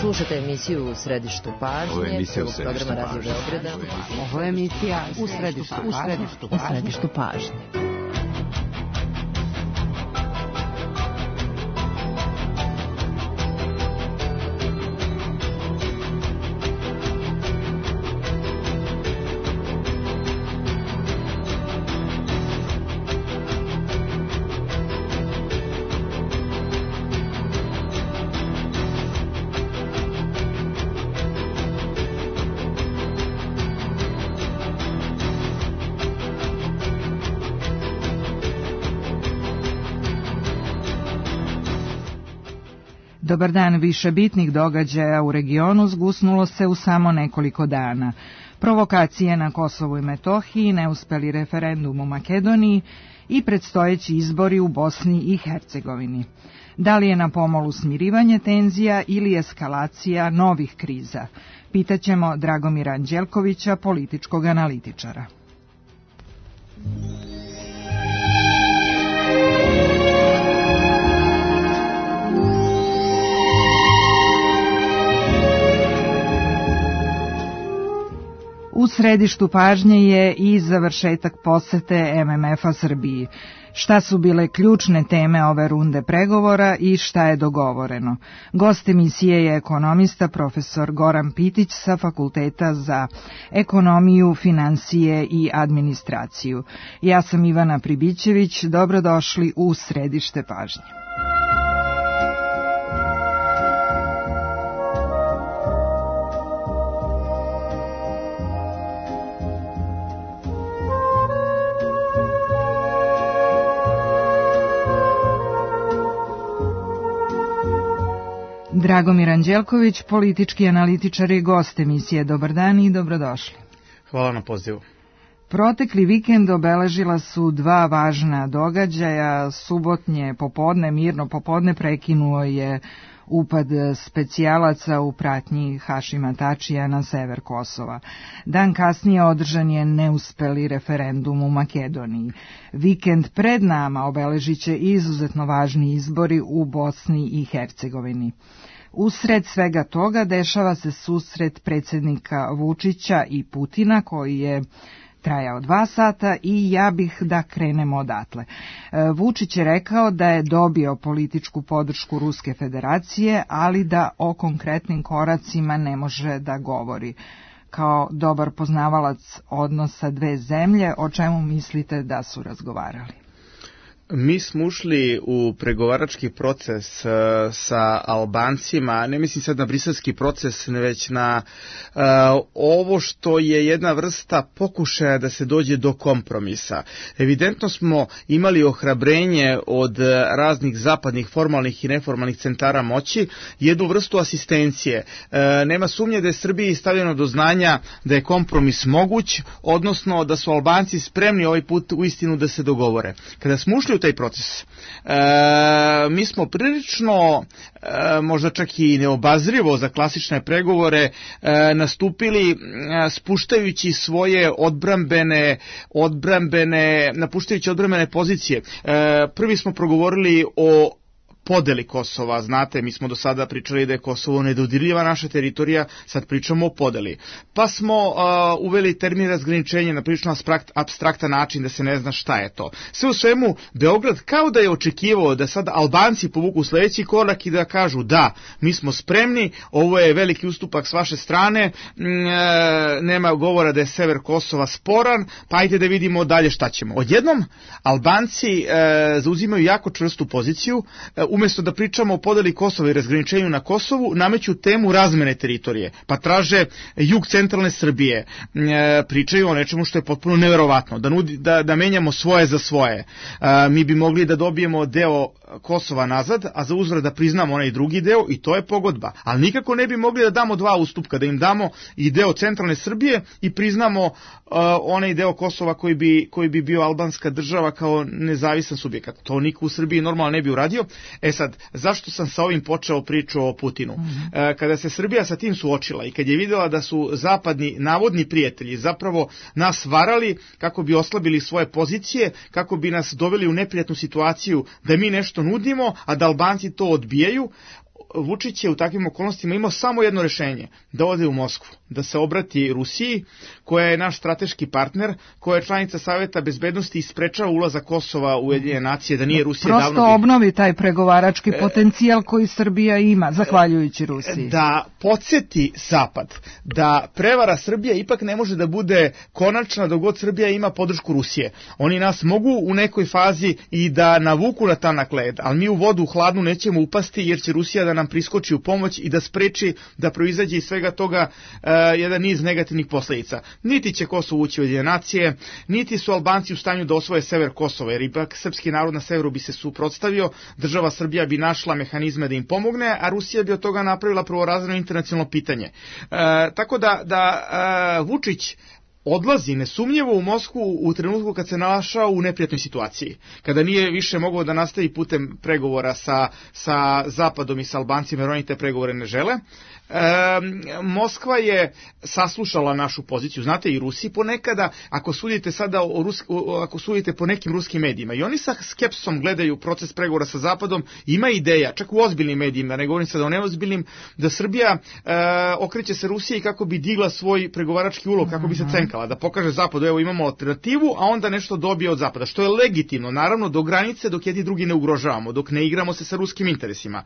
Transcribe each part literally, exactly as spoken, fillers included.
Slušajte emisiju U središtu pažnje, prvog programa Radio Beograda. Ovo je emisija U središtu pažnje. U središtu pažnje. Dobar dan, više bitnih događaja u regionu zgusnulo se u samo nekoliko dana. Provokacije na Kosovu i Metohiji, neuspeli referendum u Makedoniji i predstojeći izbori u Bosni i Hercegovini. Da li je na pomolu smirivanje tenzija ili eskalacija novih kriza? Pitaćemo Dragomira Anđelkovića, političkog analitičara. U središtu pažnje je i završetak posete M M F-a Srbiji. Šta su bile ključne teme ove runde pregovora i šta je dogovoreno? Gost emisije je ekonomista profesor Goran Pitić sa Fakulteta za ekonomiju, financije i administraciju. Ja sam Ivana Pribićević, dobrodošli u središte pažnje. Dragomir Anđelković, politički analitičar i gost emisije. Dobar dan i dobrodošli. Hvala na pozivu. Protekli vikend obeležila su dva važna događaja. Subotnje popodne, mirno popodne, prekinuo je upad specijalaca u pratnji Hašima Tačija na sever Kosova. Dan kasnije održan je neuspeli referendum u Makedoniji. Vikend pred nama obeležit će izuzetno važni izbori u Bosni i Hercegovini. Usred svega toga dešava se susret predsjednika Vučića i Putina koji je trajao dva sata i ja bih da krenemo odatle. Vučić je rekao da je dobio političku podršku Ruske federacije, ali da o konkretnim koracima ne može da govori. Kao dobar poznavalac odnosa dve zemlje, o čemu mislite da su razgovarali? Mi smo ušli u pregovarački proces uh, sa Albancima, ne mislim sad na briselski proces, već na uh, ovo što je jedna vrsta pokušaja da se dođe do kompromisa. Evidentno smo imali ohrabrenje od raznih zapadnih formalnih i neformalnih centara moći, jednu vrstu asistencije. Uh, nema sumnje da je Srbiji stavljeno do znanja da je kompromis moguć, odnosno da su Albanci spremni ovaj put uistinu da se dogovore. Kada smo ušli u taj proces, e, mi smo prilično, e, možda čak i neobazrivo za klasične pregovore, e, nastupili e, spuštajući svoje odbrambene, odbrambene, napuštajući odbrambene pozicije. E, prvi smo progovorili o podeli Kosova, znate, mi smo do sada pričali da je Kosovo nedodirljiva naša teritorija, sad pričamo o podeli. Pa smo uh, uveli termin razgraničenja na prilično apstraktan način da se ne zna šta je to. Sve u svemu, Beograd kao da je očekivao da sad Albanci povuku sledeći korak i da kažu da, mi smo spremni, ovo je veliki ustupak s vaše strane, e, nema govora da je sever Kosova sporan, pa ajde da vidimo dalje šta ćemo. Odjednom, Albanci e, zauzimaju jako čvrstu poziciju, e, umjesto da pričamo o podeli Kosova i razgraničenju na Kosovu, nameću temu razmene teritorije, pa traže jug centralne Srbije, e, pričaju o nečemu što je potpuno neverovatno, da, nudi, da, da menjamo svoje za svoje. E, mi bi mogli da dobijemo deo Kosova nazad, a za uzvrat da priznamo onaj drugi deo i to je pogodba. Ali nikako ne bi mogli da damo dva ustupka, da im damo i deo centralne Srbije i priznamo uh, onaj deo Kosova koji bi, koji bi bio albanska država kao nezavisan subjekat. To niko u Srbiji normalno ne bi uradio. E sad, zašto sam sa ovim počeo priču o Putinu? Mm-hmm. E, kada se Srbija sa tim suočila i kad je vidjela da su zapadni navodni prijatelji zapravo nas varali kako bi oslabili svoje pozicije, kako bi nas doveli u neprijatnu situaciju da mi nešto nudimo, a da Albanci to odbijaju, Vučić je u takvim okolnostima imao samo jedno rešenje, da ode u Moskvu, da se obrati Rusiji, koja je naš strateški partner, koja je članica Saveta bezbednosti i sprečava ulazak Kosova u Ujedinjene nacije, da nije Rusija Prosto davno... Prosto obnovi taj pregovarački potencijal koji Srbija ima, zahvaljujući Rusiji. Da podsjeti Zapad da prevara Srbije ipak ne može da bude konačna dok god Srbija ima podršku Rusije. Oni nas mogu u nekoj fazi i da navuku na tanak led, ali mi u vodu hladnu nećemo upasti jer će Rusija da nam priskoči u pomoć i da spreči da proizađe iz svega toga uh, jedan niz negativnih posledica. Niti će Kosovo ući u Ujedinjene nacije, niti su Albanci u stanju da osvoje sever Kosova, jer ipak srpski narod na severu bi se suprotstavio, država Srbija bi našla mehanizme da im pomogne, a Rusija bi od toga napravila prvorazredno internacionalno pitanje. E, tako da, da e, Vučić odlazi nesumnjivo u Moskvu u trenutku kad se našao u neprijatnoj situaciji, kada nije više mogao da nastavi putem pregovora sa, sa Zapadom i sa Albancima, jer oni te pregovore ne žele. E, Moskva je saslušala našu poziciju, znate, i Rusi ponekada, ako sudite sada o Rus, ako sudite po nekim ruskim medijima, i oni sa skepsom gledaju proces pregovora sa Zapadom, ima ideja, čak u ozbiljnim medijima, ne govorim sada o neozbiljnim, da Srbija e, okreće se Rusiji kako bi digla svoj pregovarački ulog, kako bi se cenkala, da pokaže Zapadu, evo imamo alternativu, a onda nešto dobije od Zapada, što je legitimno, naravno do granice dok jedni drugi ne ugrožavamo, dok ne igramo se sa ruskim interesima.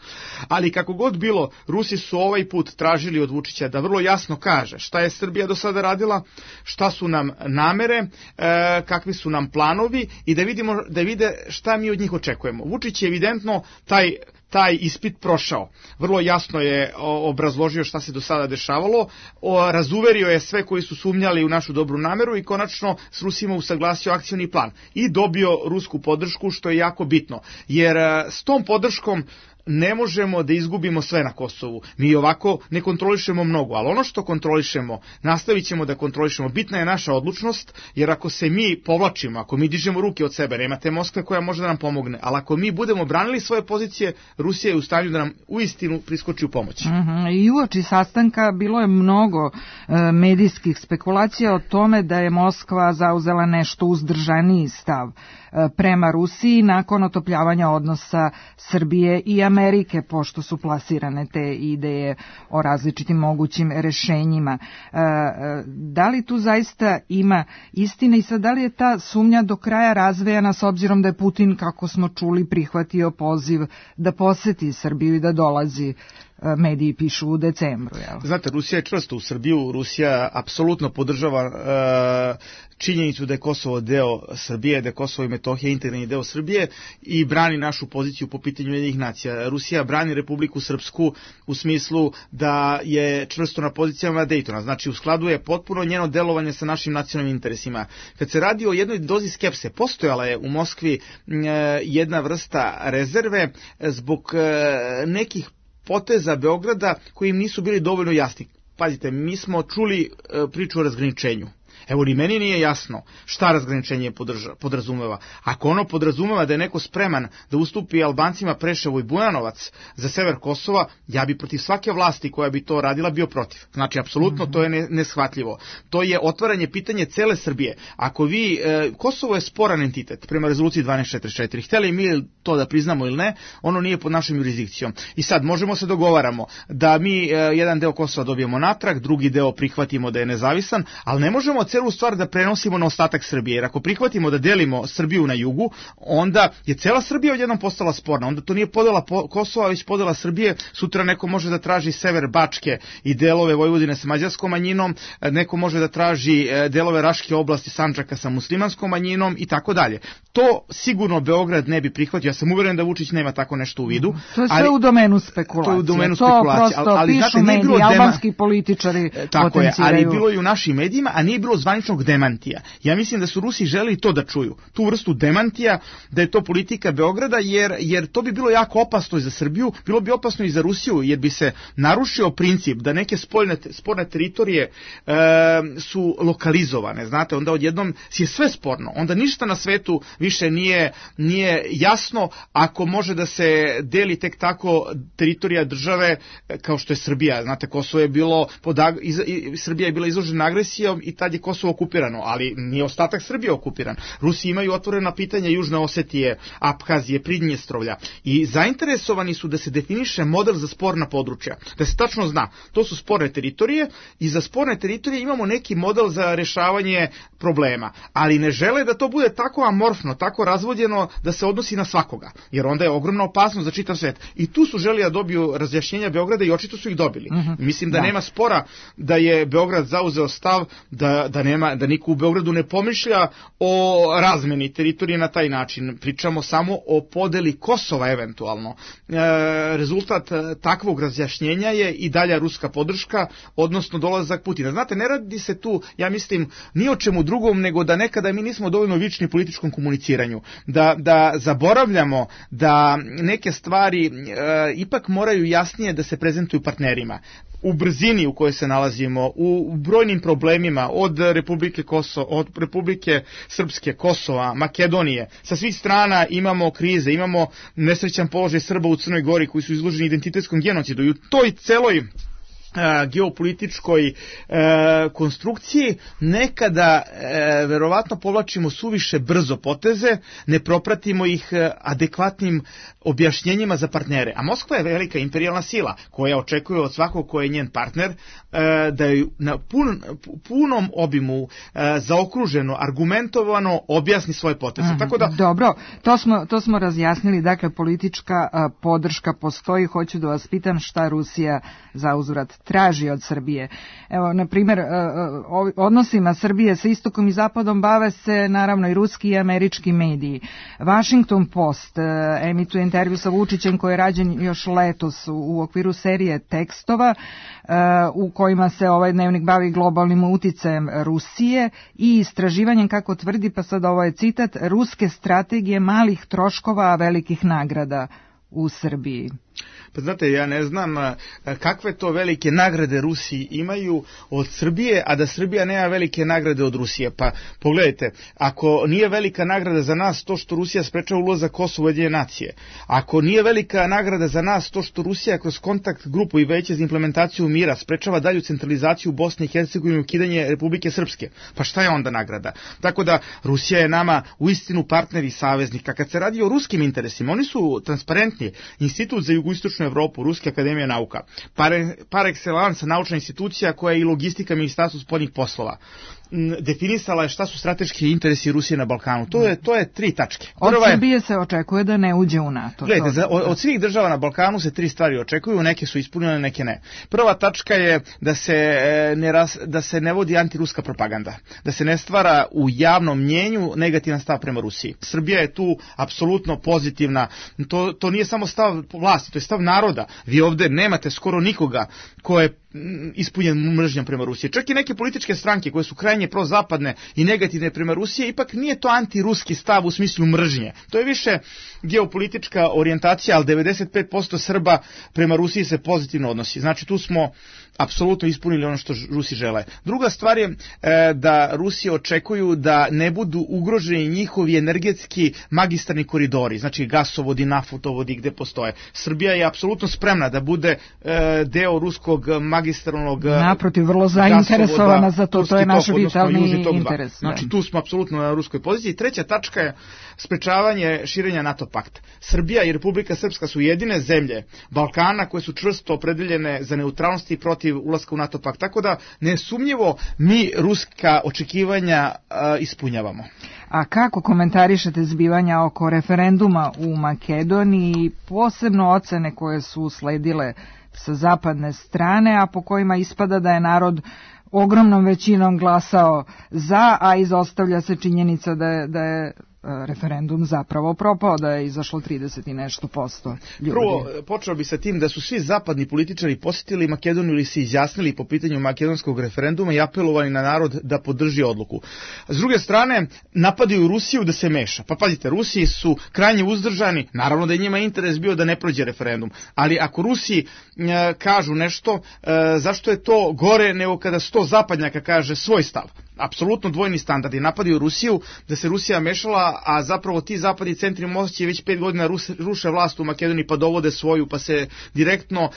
Ali kako god bilo, Rusi su ovaj put tražili od Vučića da vrlo jasno kaže šta je Srbija do sada radila, šta su nam namere, e, kakvi su nam planovi i da vidimo, da vide šta mi od njih očekujemo. Vučić je evidentno taj taj ispit prošao. Vrlo jasno je obrazložio šta se do sada dešavalo, razuverio je sve koji su sumnjali u našu dobru nameru i konačno s Rusima usaglasio akcioni plan i dobio rusku podršku, što je jako bitno, jer s tom podrškom ne možemo da izgubimo sve na Kosovu. Mi ovako ne kontrolišemo mnogo, ali ono što kontrolišemo, nastavit ćemo da kontrolišemo. Bitna je naša odlučnost, jer ako se mi povlačimo, ako mi dižemo ruke od sebe, nema te Moskve koja može da nam pomogne, ali ako mi budemo branili svoje pozicije, Rusija je u stanju da nam uistinu priskoči u pomoć. Mm-hmm. I uoči sastanka bilo je mnogo e, medijskih spekulacija o tome da je Moskva zauzela nešto uzdržaniji stav e, prema Rusiji nakon otopljavanja odnosa Srbije i Amerike, pošto su plasirane te ideje o različitim mogućim rešenjima. E, da li tu zaista ima istine i sad da li je ta sumnja do kraja razvejana s obzirom da je Putin, kako smo čuli, prihvatio poziv da poseti Srbiju i da dolazi, mediji pišu, u decembru. Jel? Znate, Rusija je čvrsto u Srbiju, Rusija apsolutno podržava e, činjenicu da je Kosovo deo Srbije, da je Kosovo i Metohija integralni deo Srbije i brani našu poziciju po pitanju Ujedinjenih nacija. Rusija brani Republiku Srpsku u smislu da je čvrsto na pozicijama Dejtona, znači u skladu je potpuno njeno delovanje sa našim nacionalnim interesima. Kad se radi o jednoj dozi skepse, postojala je u Moskvi e, jedna vrsta rezerve zbog e, nekih poteza Beograda koji im nisu bili dovoljno jasni. Pazite, mi smo čuli e, priču o razgraničenju. Evo, ni meni nije jasno šta razgraničenje podrža, podrazumeva. Ako ono podrazumeva da je neko spreman da ustupi Albancima Preševo i Bujanovac za sever Kosova, ja bi protiv svake vlasti koja bi to radila bio protiv. Znači, apsolutno to je ne, neshvatljivo. To je otvaranje pitanje cele Srbije. Ako vi, e, Kosovo je sporan entitet prema rezoluciji dvanaest četrdeset četiri. Hteli mi to da priznamo ili ne, ono nije pod našom jurisdikcijom. I sad možemo se dogovaramo da mi e, jedan deo Kosova dobijemo natrag, drugi deo prihvatimo da je nezavisan, ali ne možemo celu stvar da prenosimo na ostatak Srbije, jer ako prihvatimo da delimo Srbiju na jugu, onda je cela Srbija odjednom postala sporna, onda to nije podela Kosova, već podela Srbije. Sutra neko može da traži sever Bačke i delove Vojvodine sa mađarskom manjinom, neko može da traži delove Raške oblasti Sandžaka sa muslimanskom manjinom i tako dalje. To sigurno Beograd ne bi prihvatio, ja sam uveren da Vučić nema tako nešto u vidu. To je sve ali, u domenu spekulacije. To je u domenu spekulacije. To prosto ali, pišu znate, mediji, dema... albanski političari tako potenciraju. Je, ali bilo je u našim medijima, a nije bilo zvaničnog demantija. Ja mislim da su Rusi želeli to da čuju, tu vrstu demantija, da je to politika Beograda, jer, jer to bi bilo jako opasno i za Srbiju, bilo bi opasno i za Rusiju, jer bi se narušio princip da neke spoljne, sporne teritorije e, su lokalizovane, znate, onda odjednom je sve sporno, onda ništa na svetu više nije, nije jasno ako može da se deli tek tako teritorija države kao što je Srbija, znate, Kosovo je bilo, pod, iz, Srbija je bila izložena agresijom i tad je Kosovo okupirano, ali nije ostatak Srbije okupiran. Rusi imaju otvorena pitanja Južne Osetije, Abhazije, Pridnjestrovlja i zainteresovani su da se definiše model za sporna područja, da se tačno zna, to su sporne teritorije i za sporne teritorije imamo neki model za rešavanje problema, ali ne žele da to bude tako amorfno, tako razvodjeno da se odnosi na svakoga, jer onda je ogromna opasnost za čitav svet. I tu su želi da dobiju razjašnjenja Beograda i očito su ih dobili. Mm-hmm. Mislim da, da nema spora da je Beograd zauzeo stav da, da, nema, da niko u Beogradu ne pomišlja o razmeni teritorije na taj način. Pričamo samo o podeli Kosova eventualno. E, rezultat takvog razjašnjenja je i dalja ruska podrška, odnosno dolazak Putina. Znate, ne radi se tu, ja mislim, ni o čemu drugom, nego da nekada mi nismo dovoljno vični u političkom komuniciranju. Da, da zaboravljamo da neke stvari e, ipak moraju jasnije da se prezentuju partnerima. U brzini u kojoj se nalazimo, u brojnim problemima od Republike Kosovo, od Republike Srpske, Kosova, Makedonije, sa svih strana imamo krize, imamo nesrećan položaj Srba u Crnoj Gori koji su izloženi identitetskom genocidu i u toj celoj geopolitičkoj e, konstrukciji nekada e, verovatno povlačimo suviše brzo poteze, ne propratimo ih e, adekvatnim objašnjenjima za partnere. A Moskva je velika imperijalna sila koja očekuje od svakog ko je njen partner e, da je na pun, punom obimu e, zaokruženo, argumentovano objasni svoje poteze. Aha, tako da... Dobro, to smo, to smo razjasnili, dakle politička a, podrška postoji. Hoću da vas pitam šta Rusija za uzvrat traži od Srbije. Evo, na primjer, odnosima Srbije sa istokom i zapadom bave se naravno i ruski i američki mediji. Washington Post emituje intervju sa Vučićem koji je rađen još letos u okviru serije tekstova u kojima se ovaj dnevnik bavi globalnim uticajem Rusije i istraživanjem, kako tvrdi, pa sad ovo je citat, ruske strategije malih troškova, a velikih nagrada u Srbiji. Pa znate, ja ne znam kakve to velike nagrade Rusi imaju od Srbije, a da Srbija nema velike nagrade od Rusije. Pa pogledajte, ako nije velika nagrada za nas to što Rusija sprečava ulazak Kosova u Ujedinjene nacije, ako nije velika nagrada za nas to što Rusija kroz kontakt grupu i veće za implementaciju mira sprečava dalju centralizaciju Bosne i Hercegovine i ukidanje Republike Srpske, pa šta je onda nagrada? Tako da Rusija je nama uistinu partner i saveznik. A kad se radi o ruskim interesima, oni su transparentni. Institut za jugoistočnu Evropu, Ruska akademija nauka, par, par excellence naučna institucija koja je i logistika Ministarstva spoljnih poslova, definisala je šta su strateški interesi Rusije na Balkanu. To je, to je tri tačke. Od Srbije se očekuje da ne uđe u NATO. Gledajte, za, od, od svih država na Balkanu se tri stvari očekuju, neke su ispunjene, neke ne. Prva tačka je da se ne, ras, da se ne vodi antiruska propaganda, da se ne stvara u javnom mnjenju negativan stav prema Rusiji. Srbija je tu apsolutno pozitivna. To, to nije samo stav vlasti, to je stav naroda. Vi ovde nemate skoro nikoga ko je ispunjen mržnjom prema Rusiji. Čak i neke političke stranke koje su krajnje prozapadne i negativne prema Rusiji, ipak nije to antiruski stav u smislu mržnje. To je više geopolitička orijentacija, ali devedeset pet posto Srba prema Rusiji se pozitivno odnosi. Znači tu smo apsolutno ispunili ono što Rusi žele. Druga stvar je e, da Rusi očekuju da ne budu ugroženi njihovi energetski magistralni koridori, znači gasovodi, naftovodi gde postoje. Srbija je apsolutno spremna da bude e, deo ruskog magistralnog naprotiv, vrlo zainteresovana za to, to je naš vitalni interes. Znači tu smo apsolutno na ruskoj poziciji. Treća tačka je sprečavanje širenja NATO pakta. Srbija i Republika Srpska su jedine zemlje Balkana koje su čvrsto opredeljene za neutralnost i protiv ulaska u NATO pakt. Tako da nesumnjivo mi ruska očekivanja a, ispunjavamo. A kako komentarišete zbivanja oko referenduma u Makedoniji, posebno ocene koje su usledile sa zapadne strane, a po kojima ispada da je narod ogromnom većinom glasao za, a izostavlja se činjenica da je, da je referendum zapravo propao, da je izašlo trideset i nešto posto ljudi. Prvo, počeo bi sa tim da su svi zapadni političari posjetili Makedoniju ili se izjasnili po pitanju makedonskog referenduma i apelovali na narod da podrži odluku. S druge strane, napadaju Rusiju da se meša. Pa pazite, Rusiji su krajnje uzdržani, naravno da je njima interes bio da ne prođe referendum, ali ako Rusiji e, kažu nešto, e, zašto je to gore nego kada sto zapadnjaka kaže svoj stav? apsolutno dvojni standardi, napadaju Rusiju, da se Rusija mešala, a zapravo ti zapadni centri moći već pet godina ruše vlast u Makedoniji pa dovode svoju, pa se direktno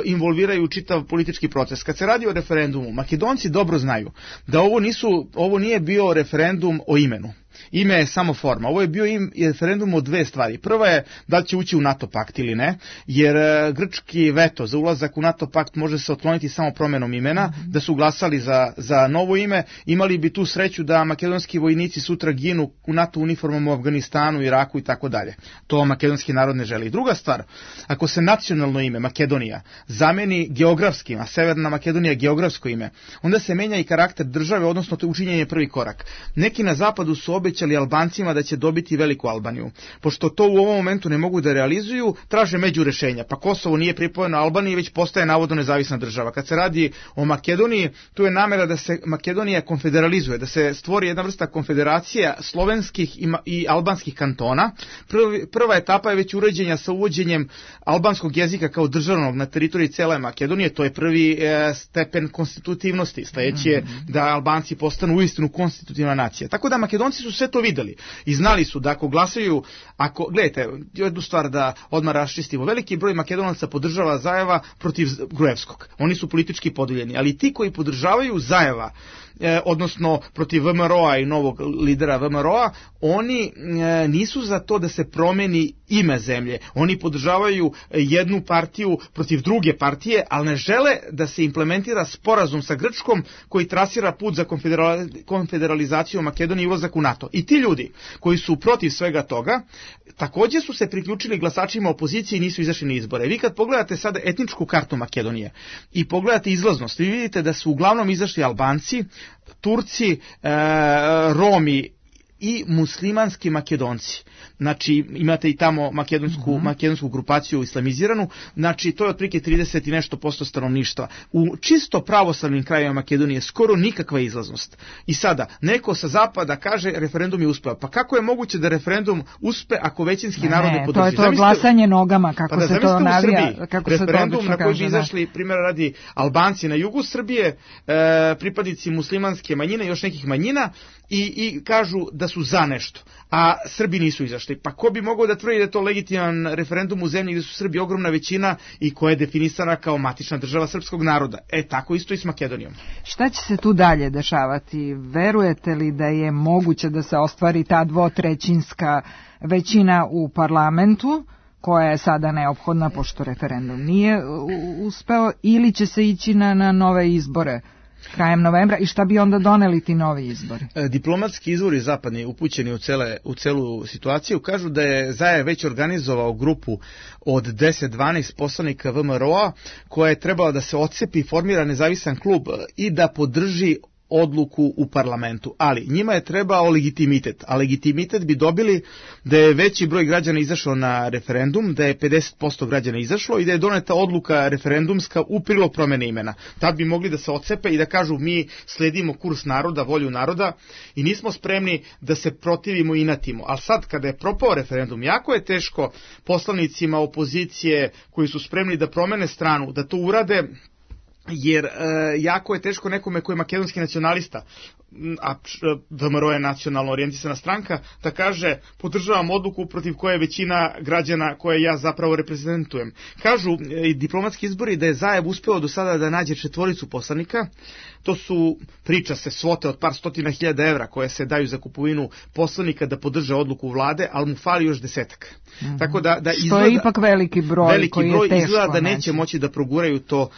involviraju u čitav politički proces. Kad se radi o referendumu, Makedonci dobro znaju da ovo nisu, ovo nije bio referendum o imenu. Ime je samo forma. Ovo je bio im referendum o dve stvari. Prva je da li će ući u NATO pakt ili ne, jer grčki veto za ulazak u NATO pakt može se otkloniti samo promenom imena. Da su glasali za, za novo ime, imali bi tu sreću da makedonski vojnici sutra ginu u NATO uniformama u Afganistanu, Iraku i tako dalje. To makedonski narod ne želi. Druga stvar, ako se nacionalno ime Makedonija zameni geografskim, a Severna Makedonija geografsko ime, onda se menja i karakter države, odnosno to učinjenje prvi korak. Neki na zapadu su obećali Albancima da će dobiti veliku Albaniju. Pošto to u ovom momentu ne mogu da realizuju, traže među rešenja. Pa Kosovo nije pripojeno Albaniji, već postaje navodno nezavisna država. Kad se radi o Makedoniji, tu je namera da se Makedonija konfederalizuje, da se stvori jedna vrsta konfederacija slovenskih i albanskih kantona. Prva etapa je već uređenja sa uvođenjem albanskog jezika kao državnog na teritoriji cele Makedonije. To je prvi stepen konstitutivnosti. Sledeći je da Albanci postanu uistinu konstitutivna nacija. Tako da Makedonci su sve to videli i znali su da ako glasaju, ako, gledajte, jednu stvar da odmah raščistimo, veliki broj Makedonaca podržava Zajeva protiv Gruevskog. Oni su politički podeljeni, ali ti koji podržavaju Zajeva, E, odnosno protiv V M R O-a i novog lidera V M R O-a, oni e, nisu za to da se promeni ime zemlje. Oni podržavaju jednu partiju protiv druge partije, ali ne žele da se implementira sporazum sa Grčkom koji trasira put za konfederalizaciju Makedonije i ulazak u NATO. I ti ljudi koji su protiv svega toga, također su se priključili glasačima opozicije i nisu izašli na izbore. Vi kad pogledate sada etničku kartu Makedonije i pogledate izlaznost, vi vidite da su uglavnom izašli Albanci, Turci, e, Romi i muslimanski Makedonci. Znači, imate i tamo makedonsku, mm-hmm. makedonsku grupaciju islamiziranu, znači to je otprilike trideset i nešto posto stanovništva. U čisto pravoslavnim krajevima Makedonije skoro nikakva izlaznost. I sada, neko sa zapada kaže referendum je uspeo. Pa kako je moguće da referendum uspe ako većinski ne, narod ne podrži? To je to zamislite, glasanje nogama, kako pa da, se to navija. Kako referendum se to na koji kaže, bi izašli, primjer radi, Albanci na jugu Srbije, e, pripadnici muslimanske manjine i još nekih manjina i, i kažu da su za nešto, a Srbi nisu izašli. Pa ko bi mogao da tvrdi da je to legitiman referendum u zemlji gdje su Srbi ogromna većina i koja je definisana kao matična država srpskog naroda? E, tako isto i s Makedonijom. Šta će se tu dalje dešavati? Verujete li da je moguće da se ostvari ta dvotrećinska većina u parlamentu, koja je sada neophodna pošto referendum nije uspeo, ili će se ići na, na nove izbore krajem novembra i šta bi onda doneli ti novi izbori? Diplomatski izvori zapadni upućeni u, cele, u celu situaciju kažu da je Zajev već organizovao grupu od deset do dvanaest poslanika V M R O-a koja je trebala da se odcepi, formira nezavisan klub i da podrži odluku u parlamentu, ali njima je trebao legitimitet, a legitimitet bi dobili da je veći broj građana izašao na referendum, da je pedeset posto građana izašlo i da je doneta odluka referendumska u prilog promene imena. Tad bi mogli da se odcepe i da kažu mi sledimo kurs naroda, volju naroda i nismo spremni da se protivimo i inatimo. Ali sad kada je propao referendum, jako je teško poslanicima opozicije koji su spremni da promene stranu, da to urade, jer e, jako je teško nekome koji je makedonski nacionalista, a V M R O je nacionalno orijentisana stranka, da kaže podržavam odluku protiv koje je većina građana koje ja zapravo reprezentujem. Kažu i diplomatski izbori da je Zajev uspeo do sada da nađe četvoricu poslanika. To su, priča se, svote od par stotina hiljada evra koje se daju za kupovinu poslanika da podrže odluku vlade, ali mu fali još desetak. Mm-hmm. Tako da, da izgleda, što je ipak veliki broj, veliki koji broj je teško. Izgleda da neće moći da proguraju to uh,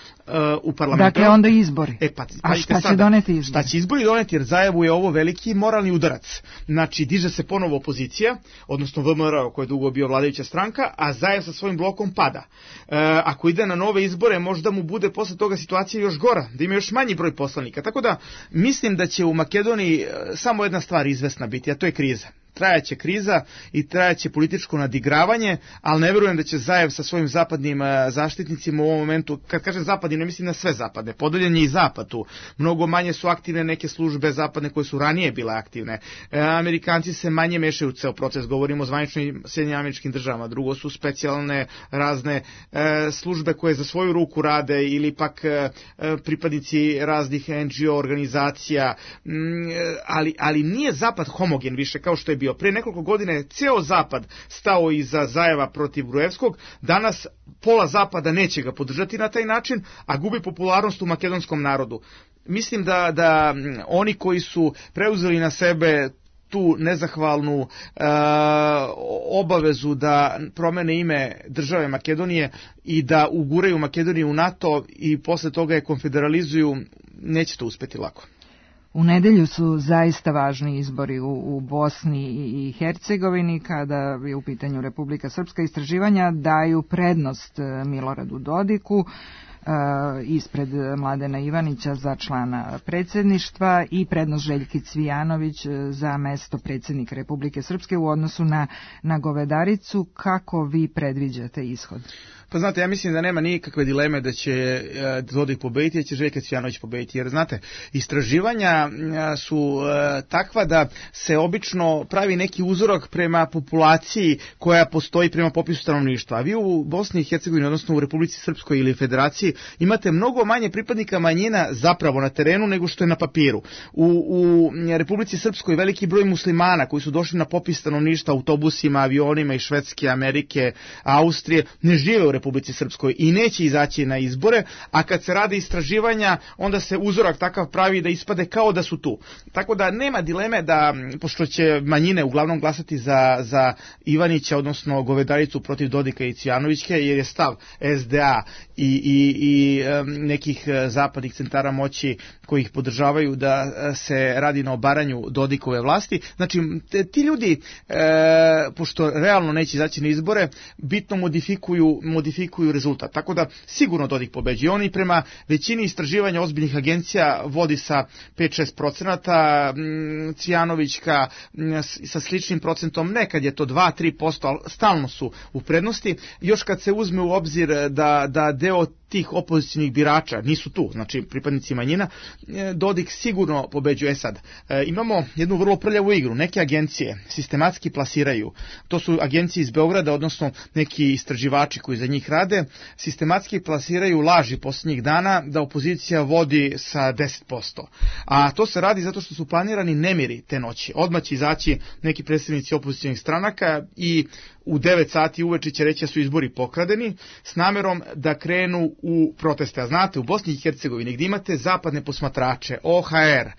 u parlamentu. Dakle, onda izbori. E, pa, A šta će sada, doneti izbori? Šta će izbori doneti, jer Zajevu je ovo veliki moralni udarac. Znači, diže se ponovo opozicija, odnosno V M R O koja je dugo bio vladajuća stranka, a Zajev sa svojim blokom pada. Uh, ako ide na nove izbore, možda mu bude posle toga situacija još gora, da ima još manji broj poslanika. Tako da, mislim da će u Makedoniji samo jedna stvar izvesna biti, a to je kriza. trajaće kriza i trajaće političko nadigravanje, ali ne verujem da će Zajev sa svojim zapadnim zaštitnicima u ovom momentu, kad kažem zapadni, ne mislim na sve zapadne, podeljen je i zapad tu. Mnogo manje su aktivne neke službe zapadne koje su ranije bile aktivne. E, Amerikanci se manje mešaju u ceo proces, govorimo o zvaničnim Sjedinjenim Američkim Državama, drugo su specijalne razne e, službe koje za svoju ruku rade ili pak e, pripadnici raznih en dži o organizacija, m, ali, ali nije zapad homogen više kao što je bio. Pre nekoliko godina je ceo zapad stao iza Zajeva protiv Gruevskog, danas pola zapada neće ga podržati na taj način, a gubi popularnost u makedonskom narodu. Mislim da, da oni koji su preuzeli na sebe tu nezahvalnu e, obavezu da promene ime države Makedonije i da uguraju Makedoniju u NATO i posle toga je konfederalizuju, neće to uspeti lako. U nedelju su zaista važni izbori u, u Bosni i Hercegovini, kada je u pitanju Republika Srpska. Istraživanja daju prednost Miloradu Dodiku ispred Mladena Ivanića za člana predsjedništva i prednost Željki Cvijanović za mesto predsjednika Republike Srpske u odnosu na, na Govedaricu. Kako vi predviđate ishod? Pa znate, ja mislim da nema nikakve dileme da će Dodik pobediti, da će Željka Cvijanović pobediti, jer znate, istraživanja su takva da se obično pravi neki uzorak prema populaciji koja postoji prema popisu stanovništva. A vi u Bosni i Hercegovini, odnosno u Republici Srpskoj ili Federaciji, imate mnogo manje pripadnika manjina zapravo na terenu nego što je na papiru. U, u Republici Srpskoj veliki broj muslimana koji su došli na popis stanovništva autobusima, avionima iz Švedske, Amerike, Austrije, ne žive u Republici Srpskoj i neće izaći na izbore, a kad se rade istraživanja, onda se uzorak takav pravi da ispade kao da su tu. Tako da nema dileme da, pošto će manjine uglavnom glasati za, za Ivanića, odnosno Govedaricu protiv Dodika i Cvijanovićke, jer je stav es de a i, i, i nekih zapadnih centara moći koji ih podržavaju da se radi na obaranju Dodikove vlasti. Znači, ti ljudi, e, pošto realno neće izaći na izbore, bitno modifikuju, modifikuju rezultat. Tako da sigurno Dodik pobeđuje. Oni prema većini istraživanja ozbiljnih agencija vodi sa pet do šest procenata, Cvijanovićka sa sličnim procentom, nekad je to dva do tri posto, ali stalno su u prednosti. Još kad se uzme u obzir da, da deo tih opozicijnih birača nisu tu, znači pripadnici manjina, Dodik sigurno pobeđuje. Sad, e, imamo jednu vrlo prljavu igru. Neke agencije sistematski plasiraju, to su agencije iz Beograda, odnosno neki istraživači koji za njih rade, sistematski plasiraju laži posljednjih dana da opozicija vodi sa deset posto. A to se radi zato što su planirani nemiri te noći. Odmah će izaći neki predstavnici opozicijnih stranaka i u devet sati uveče će reći da su izbori pokradeni s namerom da krenu u proteste. A znate, u Bosni i Hercegovini gdje imate zapadne posmatrače, o ha er, e,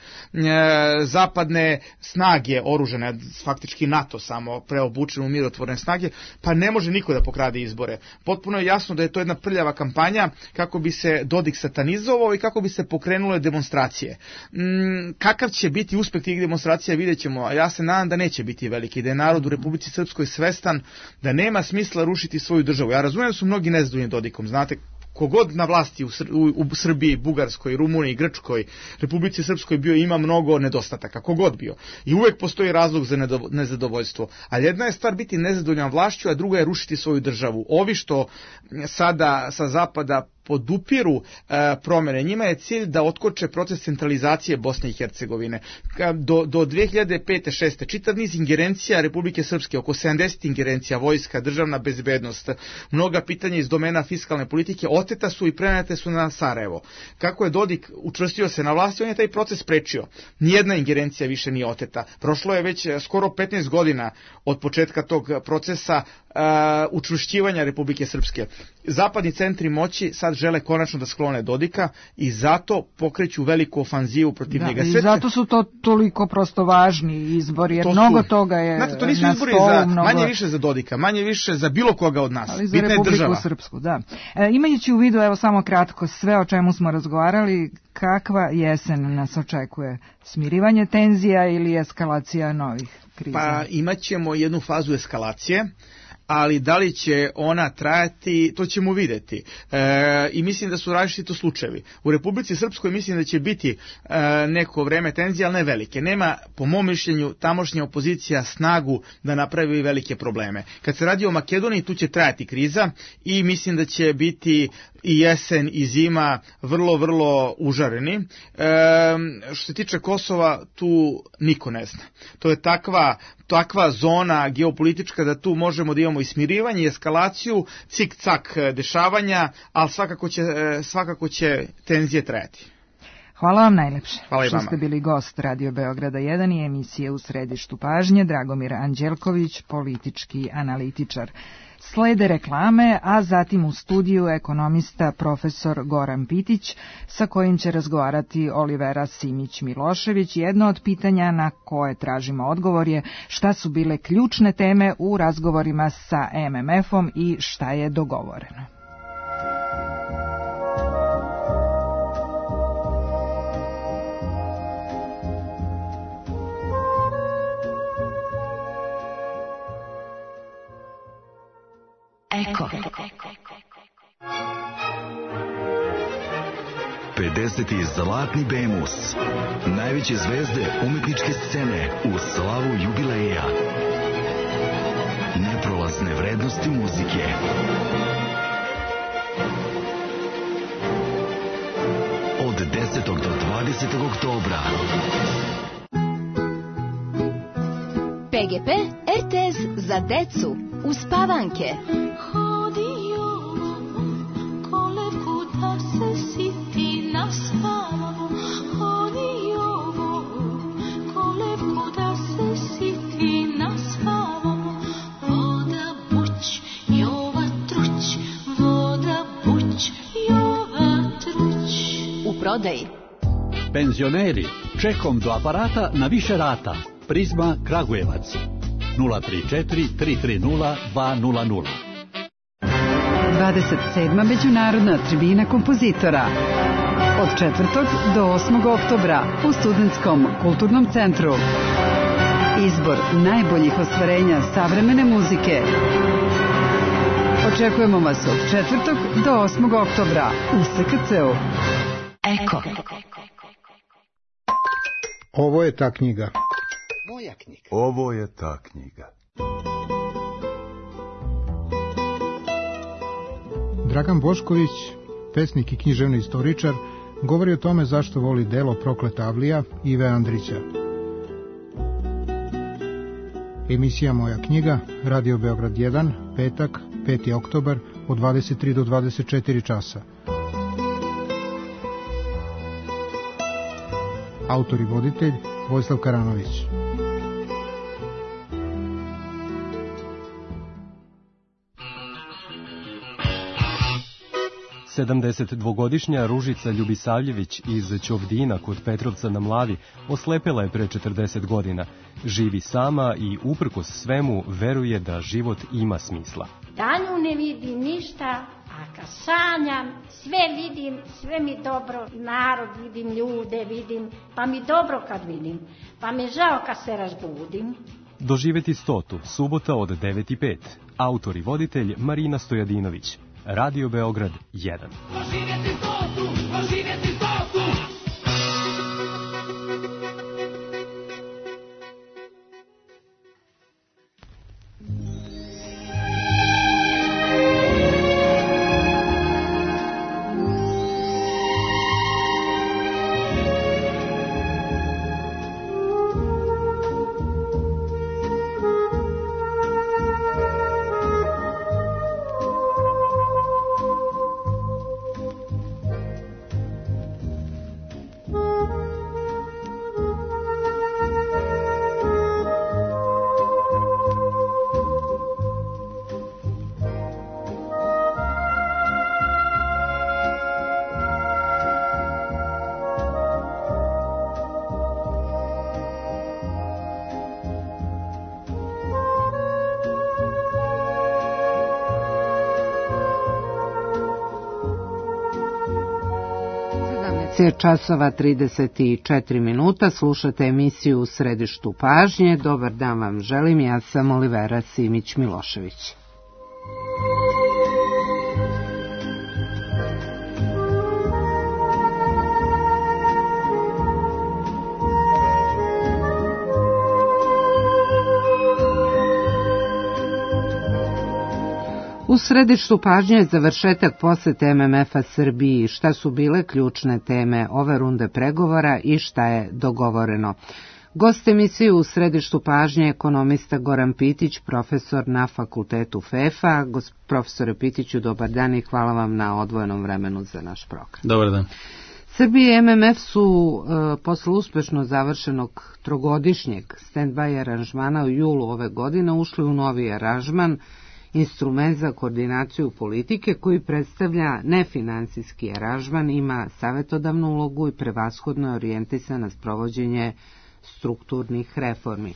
zapadne snage oružane, faktički NATO samo preobučen u mirotvorne snage, pa ne može niko da pokrade izbore. Potpuno je jasno da je to jedna prljava kampanja kako bi se Dodik satanizovao i kako bi se pokrenule demonstracije. Mm, kakav će biti uspeh tih demonstracija vidjet ćemo, a ja se nadam da neće biti veliki, da je narod u Republici Srpskoj svestan da nema smisla rušiti svoju državu. Ja razumijem da su mnogi nezadovoljni Dodikom, znate, kogod na vlasti u, Sr- u, u Srbiji, Bugarskoj, Rumuniji, Grčkoj, Republici Srpskoj bio, ima mnogo nedostataka, kogod bio. I uvek postoji razlog za nedo- nezadovoljstvo. Ali jedna je stvar biti nezadovoljan vlašću, a druga je rušiti svoju državu. Ovi što sada sa zapada podupiru e, promjene, njima je cilj da otkoče proces centralizacije Bosne i Hercegovine. Do, do dve hiljade pete šeste čitav niz ingerencija Republike Srpske, oko sedamdeset ingerencija, vojska, državna bezbednost, mnoga pitanja iz domena fiskalne politike oteta su i prenete su na Sarajevo. Kako je Dodik učvrstio se na vlasti, on je taj proces prečio. Nijedna ingerencija više nije oteta. Prošlo je već skoro petnaest godina od početka tog procesa uh, učvršćivanja Republike Srpske. Zapadni centri moći sad žele konačno da sklone Dodika i zato pokreću veliku ofanzivu protiv da, njega. I zato su to toliko prosto važni izbori, jer to mnogo su, toga je znate, to nisu na izbori stolu, za, mnogo... manje više za Dodika, manje više za bilo koga od nas. Ali za Republiku Srpsku, da. E, imajući u vidu, evo samo kratko, sve o čemu smo razgovarali, kakva jesen nas očekuje? Smirivanje tenzija ili eskalacija novih kriza? Pa imat ćemo jednu fazu eskalacije, ali da li će ona trajati, to ćemo videti. E, I mislim da su različiti slučajevi. U Republici Srpskoj mislim da će biti e, neko vreme tenzije, ali ne velike. Nema, po mom mišljenju, tamošnja opozicija snagu da napravi velike probleme. Kad se radi o Makedoniji, tu će trajati kriza i mislim da će biti i jesen i zima vrlo, vrlo užareni. E, što se tiče Kosova, tu niko ne zna. To je takva, takva zona geopolitička da tu možemo da imamo i smirivanje, i eskalaciju, cik-cak dešavanja, ali svakako će, svakako će tenzije trajati. Hvala vam najlepše. Hvala i vama. Što ste bili gost Radio Beograda jedan i emisije U središtu pažnje, Dragomir Anđelković, politički analitičar. Slede reklame, a zatim u studiju ekonomista profesor Goran Pitić, sa kojim će razgovarati Olivera Simić-Milošević. Jedno od pitanja na koje tražimo odgovor je šta su bile ključne teme u razgovorima sa em em efom i šta je dogovoreno. Eko. pedeseti Zlatni Bemus. Najveće zvezde umetničke scene u slavu jubileja. Neprolazne vrednosti muzike. Od desetog do dvadesetog oktobra. P G P R T S za decu. Uspavanke. U prodaji. Penzioneri, čekom do aparata na više rata. Prizma Kragujevac. nula tri četiri tri tri nula dva nula nula. dvadeset sedma Međunarodna tribina kompozitora. Od četvrtog do osmog oktobra u Studentskom kulturnom centru. Izbor najboljih ostvarenja savremene muzike. Očekujemo vas od četvrtog do osmog oktobra u S K C-u. Eko. Ovo je ta knjiga. Moja knjiga. Ovo je ta knjiga. Dragan Bošković, pesnik i književni istoričar, govori o tome zašto voli delo Prokleta Avlija Ive Andrića. Emisija Moja knjiga, Radio Beograd jedan, petak, peti oktobar, od dvadeset tri do dvadeset četiri časa. Autor i voditelj Vojislav Karanović. sedamdesetdvogodišnja Ružica Ljubisavljević iz Ćovdina kod Petrovca na Mlavi oslepela je pre četrdeset godina. Živi sama i uprkos svemu veruje da život ima smisla. Danju ne vidim ništa, a kad sanjam sve vidim, sve mi dobro, narod vidim, ljude vidim, pa mi dobro kad vidim, pa mi žao kad se razbudim. Doživeti stotu, subota od devet i pet. Autor i voditelj Marina Stojadinović. Radio Beograd jedan. Doživjeti stotu, doživjeti stotu. časova trideset četiri minuta, slušate emisiju U središtu pažnje. Dobar dan vam želim, ja sam Olivera Simić-Milošević. U središtu pažnje je završetak posete em em ef-a Srbiji, šta su bile ključne teme ove runde pregovora i šta je dogovoreno. Gost emisije u središtu pažnje je ekonomista Goran Pitić, profesor na fakultetu F E F-a. Profesore Pitiću, dobar dan i hvala vam na odvojenom vremenu za naš program. Dobar dan. Srbija i em em ef su e, posle uspešno završenog trogodišnjeg stand-by aranžmana u julu ove godine ušli u novi aranžman, instrument za koordinaciju politike koji predstavlja nefinansijski aranžman, ima savjetodavnu ulogu i prevashodno je orijentisan na sprovođenje strukturnih reformi.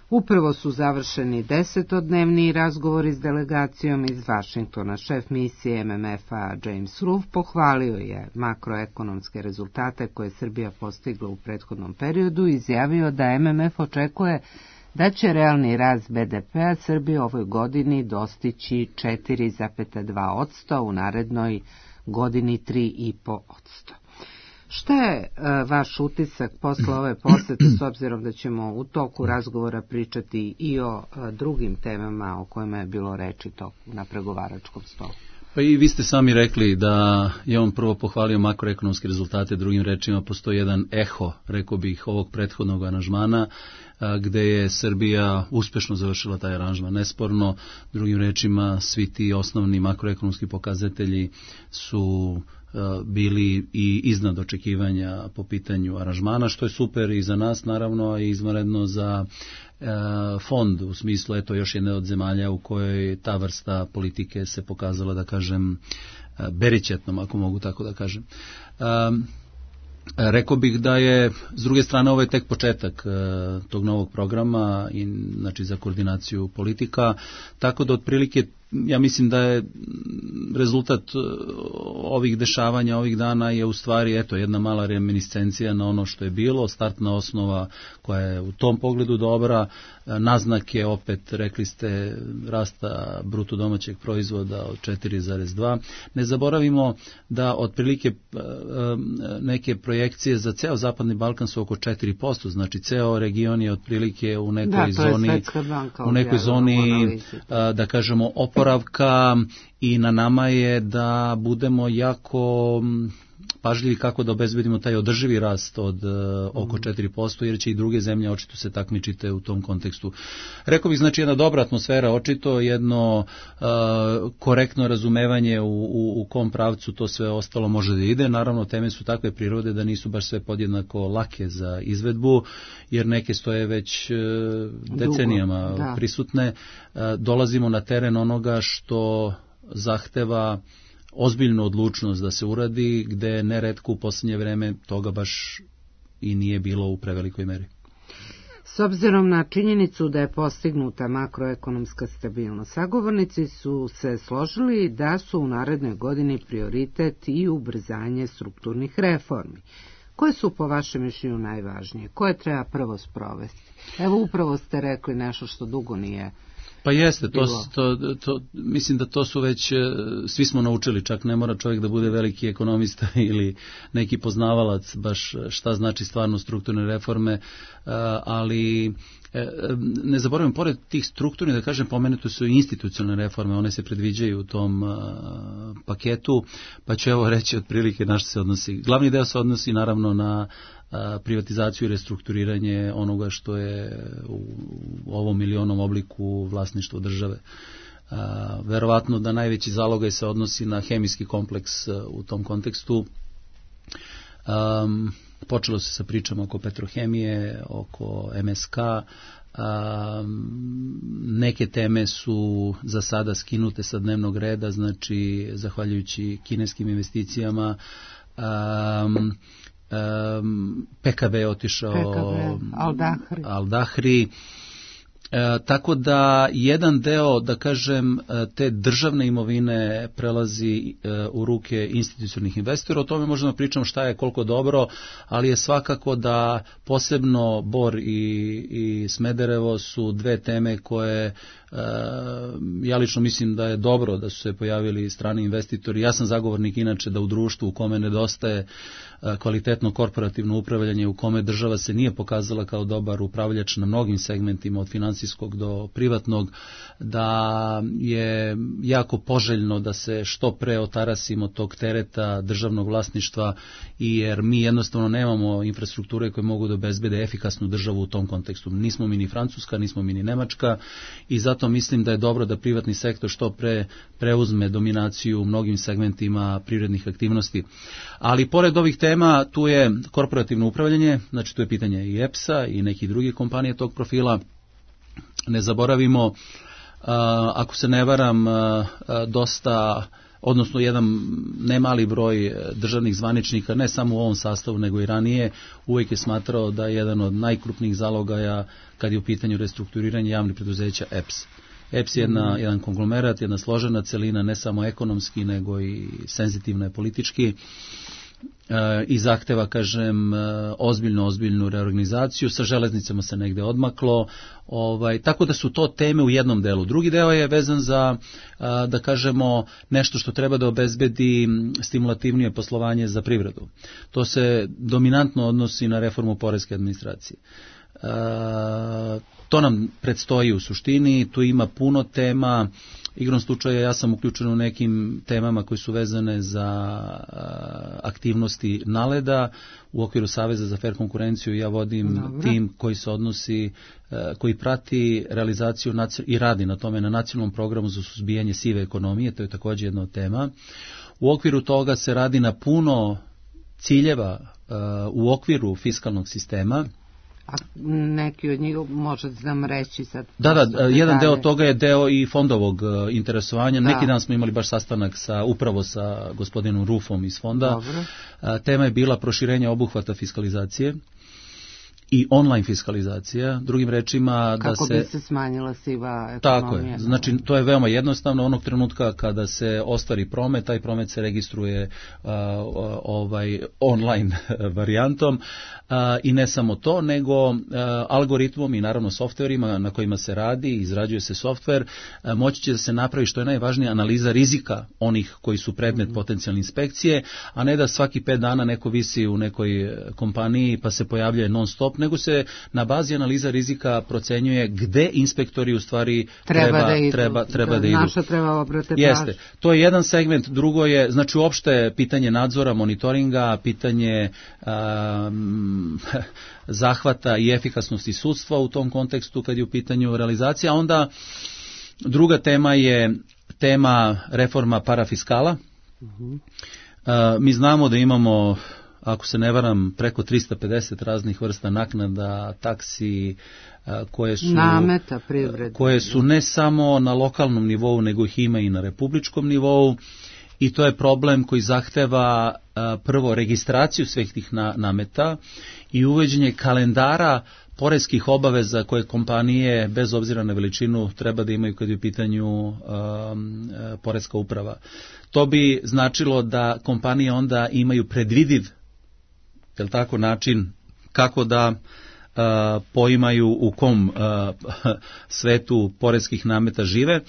Upravo su završeni desetodnevni razgovori s delegacijom iz Vašingtona. Šef misije em em ef-a James Ruff pohvalio je makroekonomske rezultate koje je Srbija postigla u prethodnom periodu i izjavio da em em ef očekuje da će realni rast be de pe-a Srbije ovoj godini dostići četiri zarez dva posto, u narednoj godini tri zarez pet posto. Šta je e, vaš utisak posle ove posete, s obzirom da ćemo u toku razgovora pričati i o e, drugim temama o kojima je bilo reči to na pregovaračkom stolu? Pa i vi ste sami rekli da je on prvo pohvalio makroekonomske rezultate, drugim rečima postoji jedan eho, rekao bih, ovog prethodnog aranžmana, gde je Srbija uspešno završila taj aranžman. Nesporno, drugim rečima, svi ti osnovni makroekonomski pokazatelji su bili i iznad očekivanja po pitanju aranžmana, što je super i za nas naravno i izvanredno za e, fond, u smislu eto još jedne od zemalja u kojoj ta vrsta politike se pokazala, da kažem, berićetnom, ako mogu tako da kažem. E, Rekao bih da je, s druge strane, ovo je tek početak e, tog novog programa i, znači, za koordinaciju politika, tako da otprilike ja mislim da je rezultat ovih dešavanja ovih dana je u stvari eto jedna mala reminiscencija na ono što je bilo, startna osnova koja je u tom pogledu dobra, naznake opet, rekli ste, rasta bruto domaćeg proizvoda od četiri zarez dva. Ne zaboravimo da otprilike neke projekcije za ceo Zapadni Balkan su oko četiri posto, znači ceo region je otprilike u nekoj da, zoni, u nekoj zoni da kažemo oporavka i na nama je da budemo jako pažljivi kako da obezbedimo taj održivi rast od uh, oko četiri posto, jer će i druge zemlje očito se takmičite u tom kontekstu. Rekao bih, znači, jedna dobra atmosfera, očito jedno uh, korektno razumevanje u, u, u kom pravcu to sve ostalo može da ide. Naravno, teme su takve prirode da nisu baš sve podjednako lake za izvedbu, jer neke stoje već uh, decenijama Dugo, prisutne. Uh, dolazimo na teren onoga što zahteva ozbiljnu odlučnost da se uradi, gde neretko u posljednje vreme toga baš i nije bilo u prevelikoj meri. S obzirom na činjenicu da je postignuta makroekonomska stabilnost, sagovornici su se složili da su u narednoj godini prioritet i ubrzanje strukturnih reformi. Koje su po vašem mišljenju najvažnije? Koje treba prvo sprovesti? Evo, upravo ste rekli nešto što dugo nije. Pa jeste, to, to, to, mislim da to su već, svi smo naučili, čak ne mora čovjek da bude veliki ekonomista ili neki poznavalac baš šta znači stvarno strukturne reforme, ali ne zaboravim, pored tih strukturnih, da kažem, pomenute su i institucionalne reforme, one se predviđaju u tom paketu, pa ću evo reći otprilike na što se odnosi. Glavni deo se odnosi naravno na privatizaciju i restrukturiranje onoga što je u ovom milionom obliku vlasništvo države. Verovatno da najveći zalogaj se odnosi na hemijski kompleks u tom kontekstu. Um, počelo se sa pričama oko Petrohemije, oko em es ka, um, neke teme su za sada skinute sa dnevnog reda, znači zahvaljujući kineskim investicijama. Um, Um, pe ka be je otišao, pe ka be, Al-Dahri. Al-Dahri. E, tako da jedan deo, da kažem, te državne imovine prelazi e, u ruke institucionalnih investora. O tome možemo pričati šta je koliko dobro, ali je svakako da posebno Bor i, i Smederevo su dve teme koje ja lično mislim da je dobro da su se pojavili strani investitori. Ja sam zagovornik inače da u društvu u kome nedostaje kvalitetno korporativno upravljanje, u kome država se nije pokazala kao dobar upravljač na mnogim segmentima od finansijskog do privatnog, da je jako poželjno da se što pre otarasimo tog tereta državnog vlasništva, i jer mi jednostavno nemamo infrastrukture koje mogu da obezbede efikasnu državu u tom kontekstu. Nismo mi ni Francuska, nismo mi ni Nemačka, i zato mislim da je dobro da privatni sektor što pre preuzme dominaciju u mnogim segmentima privrednih aktivnosti. Ali pored ovih tema tu je korporativno upravljanje, znači tu je pitanje i E P S-a i nekih drugih kompanija tog profila. Ne zaboravimo, ako se ne varam, dosta, odnosno jedan nemali broj državnih zvaničnika, ne samo u ovom sastavu nego i ranije, uvijek je smatrao da je jedan od najkrupnijih zalogaja kad je u pitanju restrukturiranje javnih preduzeća E P S. E P S je jedna, jedan konglomerat, jedna složena celina, ne samo ekonomski nego i senzitivna je politički, i zahteva, kažem, ozbiljnu, ozbiljnu reorganizaciju. Sa železnicama se negde odmaklo, ovaj, tako da su to teme u jednom delu. Drugi deo je vezan za, da kažemo, nešto što treba da obezbedi stimulativnije poslovanje za privredu. To se dominantno odnosi na reformu poreske administracije. To nam predstoji u suštini, tu ima puno tema. Igrom slučaja ja sam uključen u nekim temama koji su vezane za aktivnosti NALED-a. U okviru Saveza za fer konkurenciju ja vodim Dobre. tim koji se odnosi, koji prati realizaciju i radi na tome na nacionalnom programu za suzbijanje sive ekonomije, to je također jedna od tema. U okviru toga se radi na puno ciljeva u okviru fiskalnog sistema. A neki od njih možete nam reći sad? Da, da, jedan deo toga je deo i fondovog interesovanja. Da. Neki dan smo imali baš sastanak sa, upravo sa gospodinom Rufom iz fonda. Dobro. Tema je bila proširenje obuhvata fiskalizacije i online fiskalizacija, drugim rečima da kako se... Kako bi se smanjila siva ekonomija. Tako je, znači to je veoma jednostavno, onog trenutka kada se ostvari promet, taj promet se registruje uh, ovaj online varijantom, uh, i ne samo to, nego uh, algoritmom i naravno softverima na kojima se radi, izrađuje se softver, uh, moći će da se napravi, što je najvažnije, analiza rizika onih koji su predmet mm. potencijalne inspekcije, a ne da svaki pet dana neko visi u nekoj kompaniji pa se pojavljuje non stop, nego se na bazi analiza rizika procenjuje gde inspektori u stvari treba, treba, da, idu. treba, treba da, da idu. Naša treba obrate Jeste. To je jedan segment, drugo je, znači uopšte pitanje nadzora, monitoringa, pitanje um, zahvata i efikasnosti sudstva u tom kontekstu kad je u pitanju realizacija. Onda druga tema je tema reforma parafiskala. Uh-huh. Uh, mi znamo da imamo, ako se ne varam, preko trista pedeset raznih vrsta naknada, taksi, koje su, nameta privrede, koje su ne samo na lokalnom nivou, nego ih ima i na republičkom nivou, i to je problem koji zahteva prvo registraciju svih tih nameta i uvođenje kalendara poreskih obaveza koje kompanije, bez obzira na veličinu, treba da imaju kad je u pitanju um, poreska uprava. To bi značilo da kompanije onda imaju predvidiv, jel tako, način kako da uh, poimaju u kom uh, svetu poreskih nameta žive.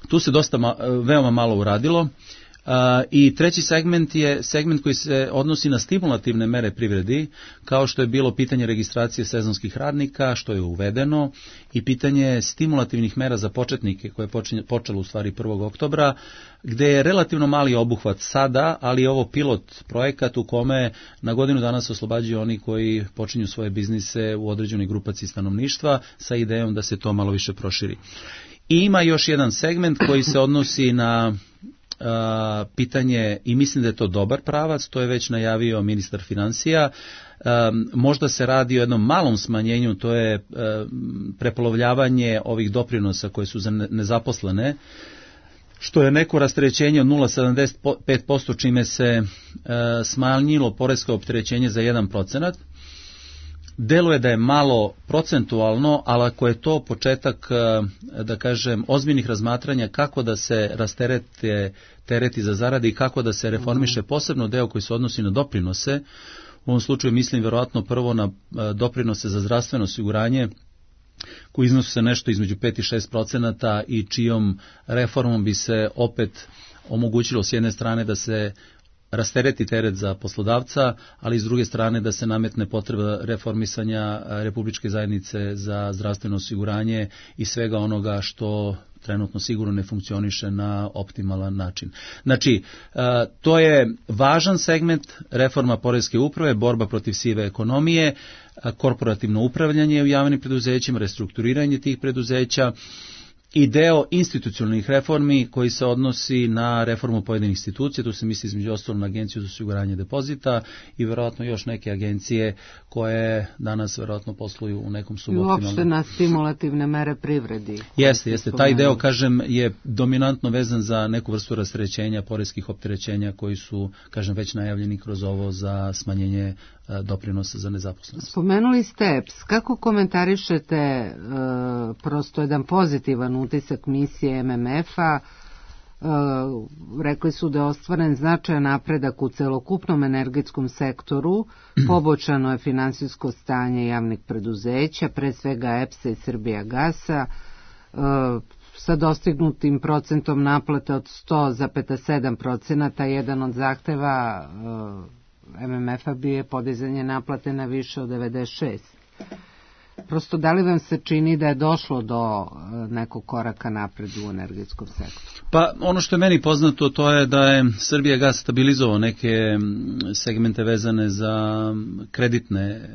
Tu se dosta ma, veoma malo uradilo. Uh, I treći segment je segment koji se odnosi na stimulativne mere privredi, kao što je bilo pitanje registracije sezonskih radnika, što je uvedeno, i pitanje stimulativnih mera za početnike, koje je počelo u stvari prvog oktobra, gde je relativno mali obuhvat sada, ali je ovo pilot projekat u kome na godinu dana se oslobađaju oni koji počinju svoje biznise u određenoj grupaciji stanovništva sa idejom da se to malo više proširi. I ima još jedan segment koji se odnosi na Uh, pitanje, i mislim da je to dobar pravac, to je već najavio ministar financija. Um, možda se radi o jednom malom smanjenju, to je um, prepolovljavanje ovih doprinosa koje su za nezaposlene, što je neko rasterećenje od nula zarez sedamdeset pet posto, čime se uh, smanjilo poresko opterećenje za jedan procenat. Deluje da je malo procentualno, ali ako je to početak, da kažem, ozbiljnih razmatranja kako da se rasterete tereti za zarade i kako da se reformiše posebno deo koji se odnosi na doprinose, u ovom slučaju mislim vjerojatno prvo na doprinose za zdravstveno osiguranje, koji iznose se nešto između pet i šest procenata i čijom reformom bi se opet omogućilo s jedne strane da se rastereti teret za poslodavca, ali s druge strane da se nametne potreba reformisanja Republičke zajednice za zdravstveno osiguranje i svega onoga što trenutno sigurno ne funkcioniše na optimalan način. Znači, to je važan segment reforma poreske uprave, borba protiv sive ekonomije, korporativno upravljanje u javnim preduzećima, restrukturiranje tih preduzeća i deo institucionalnih reformi koji se odnosi na reformu pojedinih institucija, tu se misli između ostalog na Agenciju za osiguranje depozita i verovatno još neke agencije koje danas verovatno posluju u nekom suboptimalnom. I uopšte na stimulativne mere privredi. Jeste, jeste. Taj deo, kažem, je dominantno vezan za neku vrstu rasterećenja, poreskih opterećenja koji su, kažem, već najavljeni kroz ovo za smanjenje doprinosa za nezaposlenost. Spomenuli ste E P S. Kako komentarišete e, prosto jedan pozitivan utisak misije M M F-a? E, rekli su da je ostvaren značajan napredak u celokupnom energetskom sektoru, poboljšano je finansijsko stanje javnih preduzeća, pre svega E P S-a i Srbijagasa, e, sa dostignutim procentom naplate od sto zarez sedam procenata, jedan od zahteva e, M M F-a bi je podizanje naplate na više od devedeset šest. Prosto, da li vam se čini da je došlo do nekog koraka napred u energetskom sektoru? Pa ono što je meni poznato to je da je Srbijagas stabilizovao neke segmente vezane za kreditne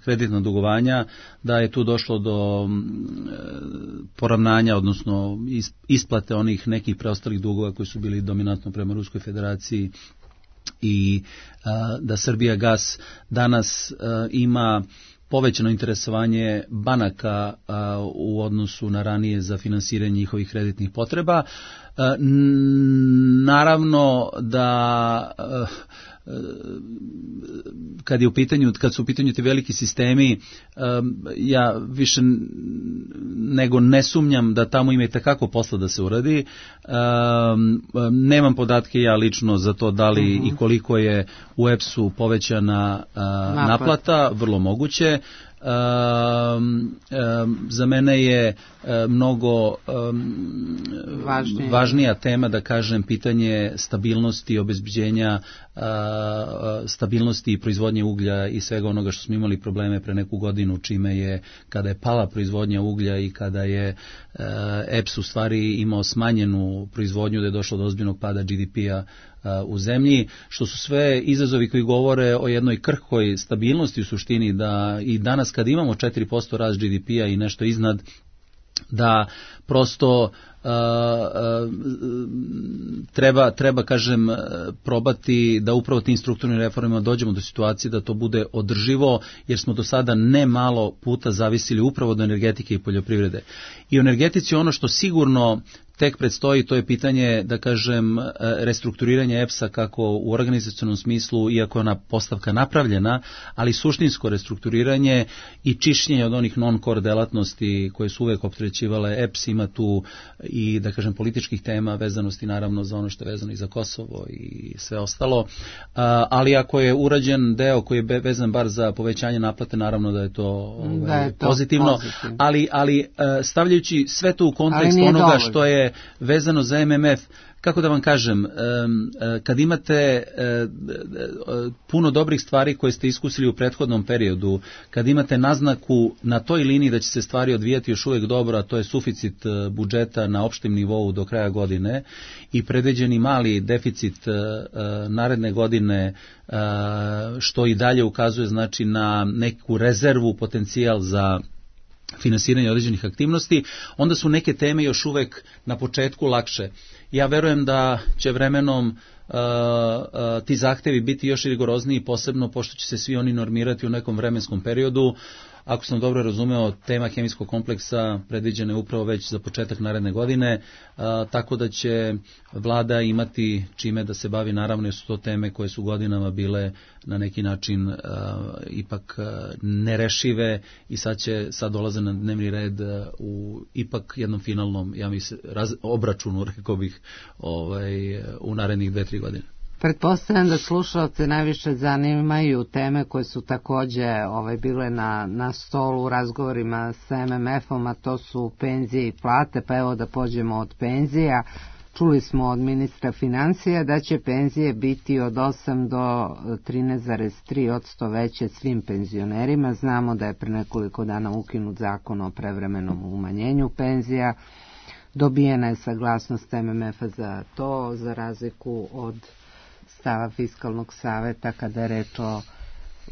kreditna dugovanja, da je tu došlo do poravnanja, odnosno isplate onih nekih preostalih dugova koji su bili dominantno prema Ruskoj federaciji i a, da Srbijagas danas a, ima povećano interesovanje banaka a, u odnosu na ranije za finansiranje njihovih kreditnih potreba. A, naravno da a, kad je u pitanju, kad su u pitanju ti veliki sistemi, ja više nego ne sumnjam da tamo ima i takako posla da se uradi. Nemam podatke ja lično za to da li uh-huh. i koliko je u E P S-u povećana naplata, naplata vrlo moguće. Um, um, za mene je um, mnogo um, važnija tema, da kažem, pitanje stabilnosti, obezbeđenja uh, stabilnosti i proizvodnje uglja i svega onoga što smo imali probleme pre neku godinu, čime je, kada je pala proizvodnja uglja i kada je uh, E P S u stvari imao smanjenu proizvodnju, da je došlo do ozbiljnog pada G D P-a u zemlji, što su sve izazovi koji govore o jednoj krhkoj stabilnosti u suštini, da i danas kad imamo četiri posto rast G D P-a i nešto iznad, da prosto uh, uh, treba, treba, kažem, probati da upravo tim strukturnim reformama dođemo do situacije da to bude održivo, jer smo do sada ne malo puta zavisili upravo od energetike i poljoprivrede. I u energetici ono što sigurno tek predstoji, to je pitanje, da kažem, restrukturiranja E P S-a kako u organizacionom smislu, iako je ona postavka napravljena, ali suštinsko restrukturiranje i čišćenje od onih non-core delatnosti koje su uvek opterećivale E P S. Ima tu i, da kažem, političkih tema, vezanosti naravno za ono što je vezano i za Kosovo i sve ostalo, ali ako je urađen deo koji je vezan bar za povećanje naplate, naravno da je to, ovaj, da je to pozitivno, pozitivno. Ali, ali stavljajući sve to u kontekst onoga dovoljno što je vezano za M M F, kako da vam kažem, kad imate puno dobrih stvari koje ste iskusili u prethodnom periodu, kad imate naznaku na toj liniji da će se stvari odvijati još uvijek dobro, a to je suficit budžeta na opštem nivou do kraja godine i predviđeni mali deficit naredne godine, što i dalje ukazuje znači na neku rezervu, potencijal za finansiranje određenih aktivnosti, onda su neke teme još uvek na početku lakše. Ja verujem da će vremenom uh, uh, ti zahtevi biti još rigorozniji, posebno pošto će se svi oni normirati u nekom vremenskom periodu. Ako sam dobro razumeo, tema hemijskog kompleksa predviđena je upravo već za početak naredne godine, a, tako da će vlada imati čime da se bavi, naravno jer su to teme koje su godinama bile na neki način a, ipak a, nerešive i sad će sad dolaze na dnevni red a, u ipak jednom finalnom, ja mislim, raz, obračunu, rekao bih, ovaj, u narednih dve, tri godine. Pretpostavljam da slušalce najviše zanimaju teme koje su takođe ovaj, bile na, na stolu u razgovorima sa em em efom, a to su penzije i plate, pa evo da pođemo od penzija. Čuli smo od ministra financija da će penzije biti od osam do trinaest zarez tri posto veće svim penzionerima. Znamo da je pre nekoliko dana ukinut zakon o prevremenom umanjenju penzija. Dobijena je saglasnost em em efa za to, za razliku od stava Fiskalnog saveta kada je reč o,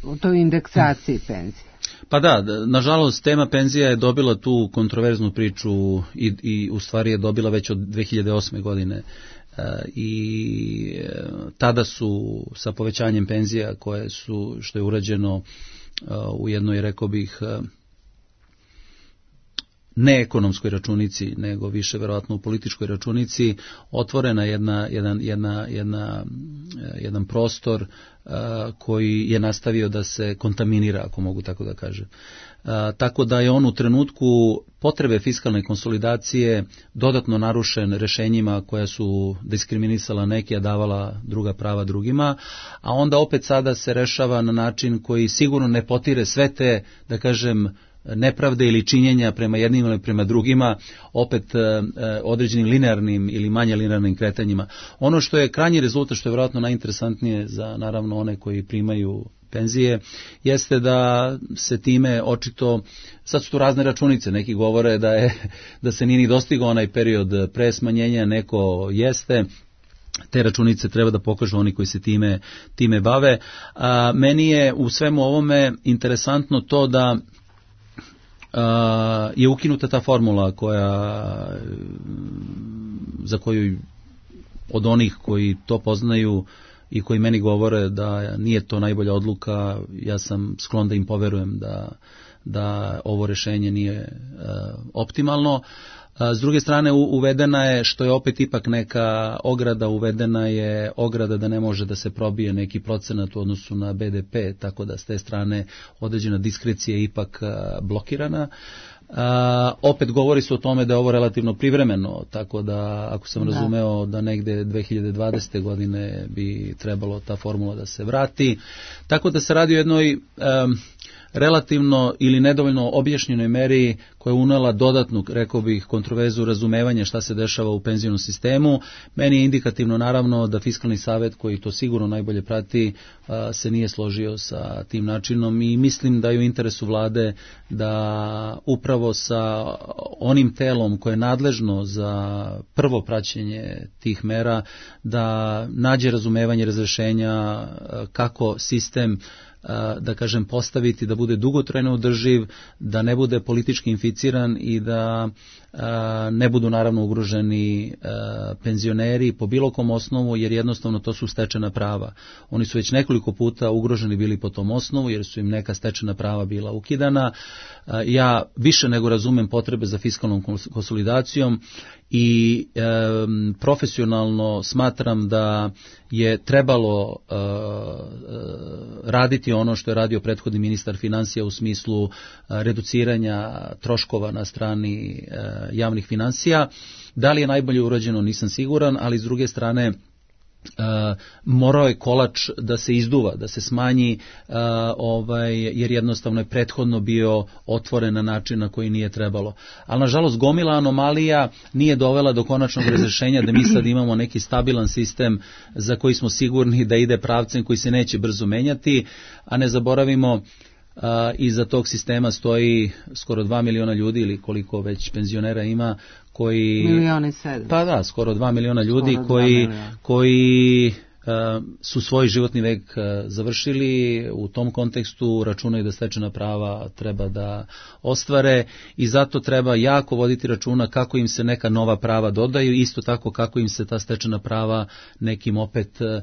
o toj indeksaciji penzije. Pa da, nažalost tema penzija je dobila tu kontroverznu priču i, i u stvari je dobila već od dve hiljade osme godine i tada su sa povećanjem penzija koje su, što je urađeno u jednoj, rekao bih, ne ekonomskoj računici, nego više verovatno u političkoj računici, otvorena jedna, jedan, jedna, jedna, jedan prostor uh, koji je nastavio da se kontaminira, ako mogu tako da kažem. Uh, tako da je on u trenutku potrebe fiskalne konsolidacije dodatno narušen rešenjima koja su diskriminisala neke, a davala druga prava drugima, a onda opet sada se rešava na način koji sigurno ne potire sve te, da kažem, nepravde ili činjenja prema jednim ili prema drugima, opet e, određenim linearnim ili manje linearnim kretanjima. Ono što je krajnji rezultat, što je vjerojatno najinteresantnije za naravno one koji primaju penzije, jeste da se time očito, sad su tu razne računice, neki govore da, je, da se nije ni dostigao onaj period pre smanjenja, neko jeste, te računice treba da pokažu oni koji se time, time bave. A, meni je u svemu ovome interesantno to da Uh, je ukinuta ta formula koja, za koju od onih koji to poznaju i koji meni govore da nije to najbolja odluka, ja sam sklon da im poverujem da, da ovo rešenje nije uh, optimalno. S druge strane uvedena je, što je opet ipak neka ograda, uvedena je ograda da ne može da se probije neki procenat u odnosu na be de pe, tako da s te strane određena diskrecija je ipak blokirana. Uh, opet govori se o tome da je ovo relativno privremeno, tako da ako sam da. razumeo da negde dve hiljade dvadesete godine bi trebalo ta formula da se vrati, tako da se radi o jednoj um, relativno ili nedovoljno objašnjenoj meri koja je unela dodatnu, rekao bih, kontroverzu razumevanja šta se dešava u penzionom sistemu. Meni je indikativno naravno da Fiskalni savet, koji to sigurno najbolje prati, se nije složio sa tim načinom i mislim da je u interesu vlade da upravo sa onim telom koje je nadležno za prvo praćenje tih mera, da nađe razumevanje razrešenja kako sistem, da kažem, postaviti da bude dugotrajno održiv, da ne bude politički inficiran i da ne budu naravno ugroženi penzioneri po bilo kom osnovu, jer jednostavno to su stečena prava. Oni su već nekoliko puta ugroženi bili po tom osnovu, jer su im neka stečena prava bila ukidana. Ja više nego razumem potrebe za fiskalnom konsolidacijom i e, profesionalno smatram da je trebalo e, raditi ono što je radio prethodni ministar financija u smislu e, reduciranja troškova na strani e, javnih financija. Da li je najbolje urađeno, nisam siguran, ali s druge strane Uh, morao je kolač da se izduva, da se smanji, uh, ovaj, jer jednostavno je prethodno bio otvoren na način na koji nije trebalo. Ali nažalost gomila anomalija nije dovela do konačnog razrešenja da mi sad imamo neki stabilan sistem za koji smo sigurni da ide pravcem koji se neće brzo menjati, a ne zaboravimo, Uh, iza tog sistema stoji skoro dva miliona ljudi ili koliko već penzionera ima koji... Milioni sedam. Pa da, skoro dva miliona ljudi koji, koji uh, su svoj životni vek uh, završili, u tom kontekstu računaju da stečena prava treba da ostvare i zato treba jako voditi računa kako im se neka nova prava dodaju, isto tako kako im se ta stečena prava nekim opet uh,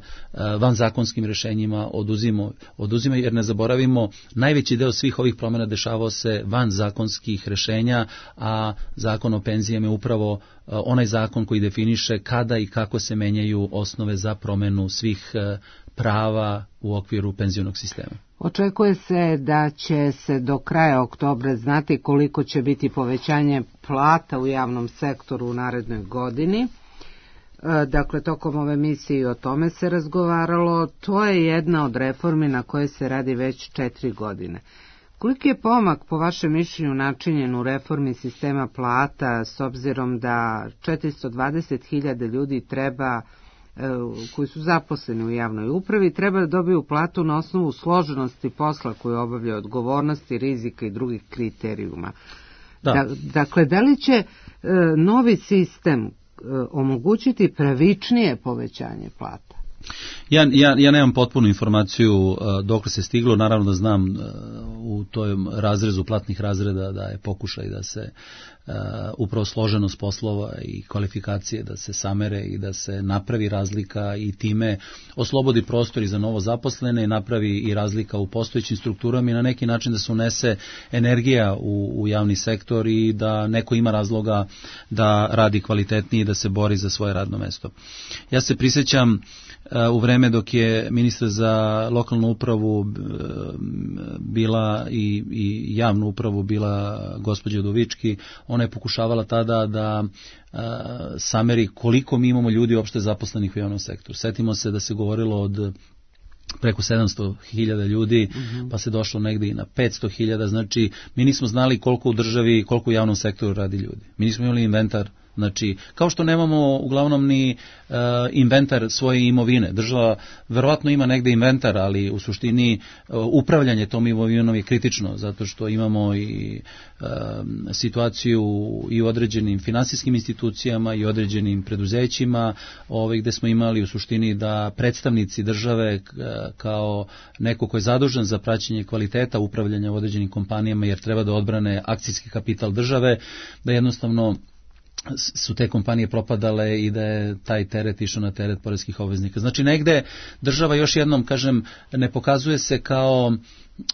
vanzakonskim rešenjima oduzimo, oduzimo, jer ne zaboravimo, najveći deo svih ovih promjena dešavao se van zakonskih rešenja, a zakon o penzijama je upravo onaj zakon koji definiše kada i kako se menjaju osnove za promenu svih prava u okviru penzionog sistema. Očekuje se da će se do kraja oktobra znati koliko će biti povećanje plata u javnom sektoru u narednoj godini. Dakle, tokom ove emisije o tome se razgovaralo. To je jedna od reformi na koje se radi već četiri godine. Koliki je pomak, po vašem mišljenju, načinjen u reformi sistema plata, s obzirom da četiristo dvadeset hiljada ljudi treba, koji su zaposleni u javnoj upravi, treba da dobiju platu na osnovu složenosti posla koju obavljaju, odgovornosti, rizika i drugih kriterijuma. Da. Da, dakle, da li će novi sistem omogućiti pravičnije povećanje plata? Ja, ja, ja nemam potpunu informaciju uh, dokle se stiglo, naravno da znam uh, u tom razrezu platnih razreda da je pokušaj da se uh, upravo složenost poslova i kvalifikacije da se samere i da se napravi razlika i time oslobodi prostor i za novo zaposlene i napravi i razlika u postojećim strukturama i na neki način da se unese energija u, u javni sektor i da neko ima razloga da radi kvalitetnije i da se bori za svoje radno mesto. Ja se prisjećam u vreme dok je ministar za lokalnu upravu bila i, i javnu upravu bila gospođa Udovički, ona je pokušavala tada da a, sameri koliko mi imamo ljudi uopšte zaposlenih u javnom sektoru. Setimo se da se govorilo od preko sedamsto hiljada ljudi, mm-hmm. pa se došlo negdje i na petsto hiljada, znači mi nismo znali koliko u državi, koliko u javnom sektoru radi ljudi. Mi nismo imali inventar. Znači, kao što nemamo uglavnom ni uh, inventar svoje imovine. Država verovatno ima negde inventar, ali u suštini uh, upravljanje tom imovinom je kritično, zato što imamo i uh, situaciju i u određenim finansijskim institucijama i određenim preduzećima, ovaj, gde smo imali u suštini da predstavnici države uh, kao neko ko je zadužen za praćenje kvaliteta upravljanja u određenim kompanijama, jer treba da odbrane akcijski kapital države, da jednostavno su te kompanije propadale i da je taj teret išao na teret poreskih obveznika. Znači negde država, još jednom kažem, ne pokazuje se kao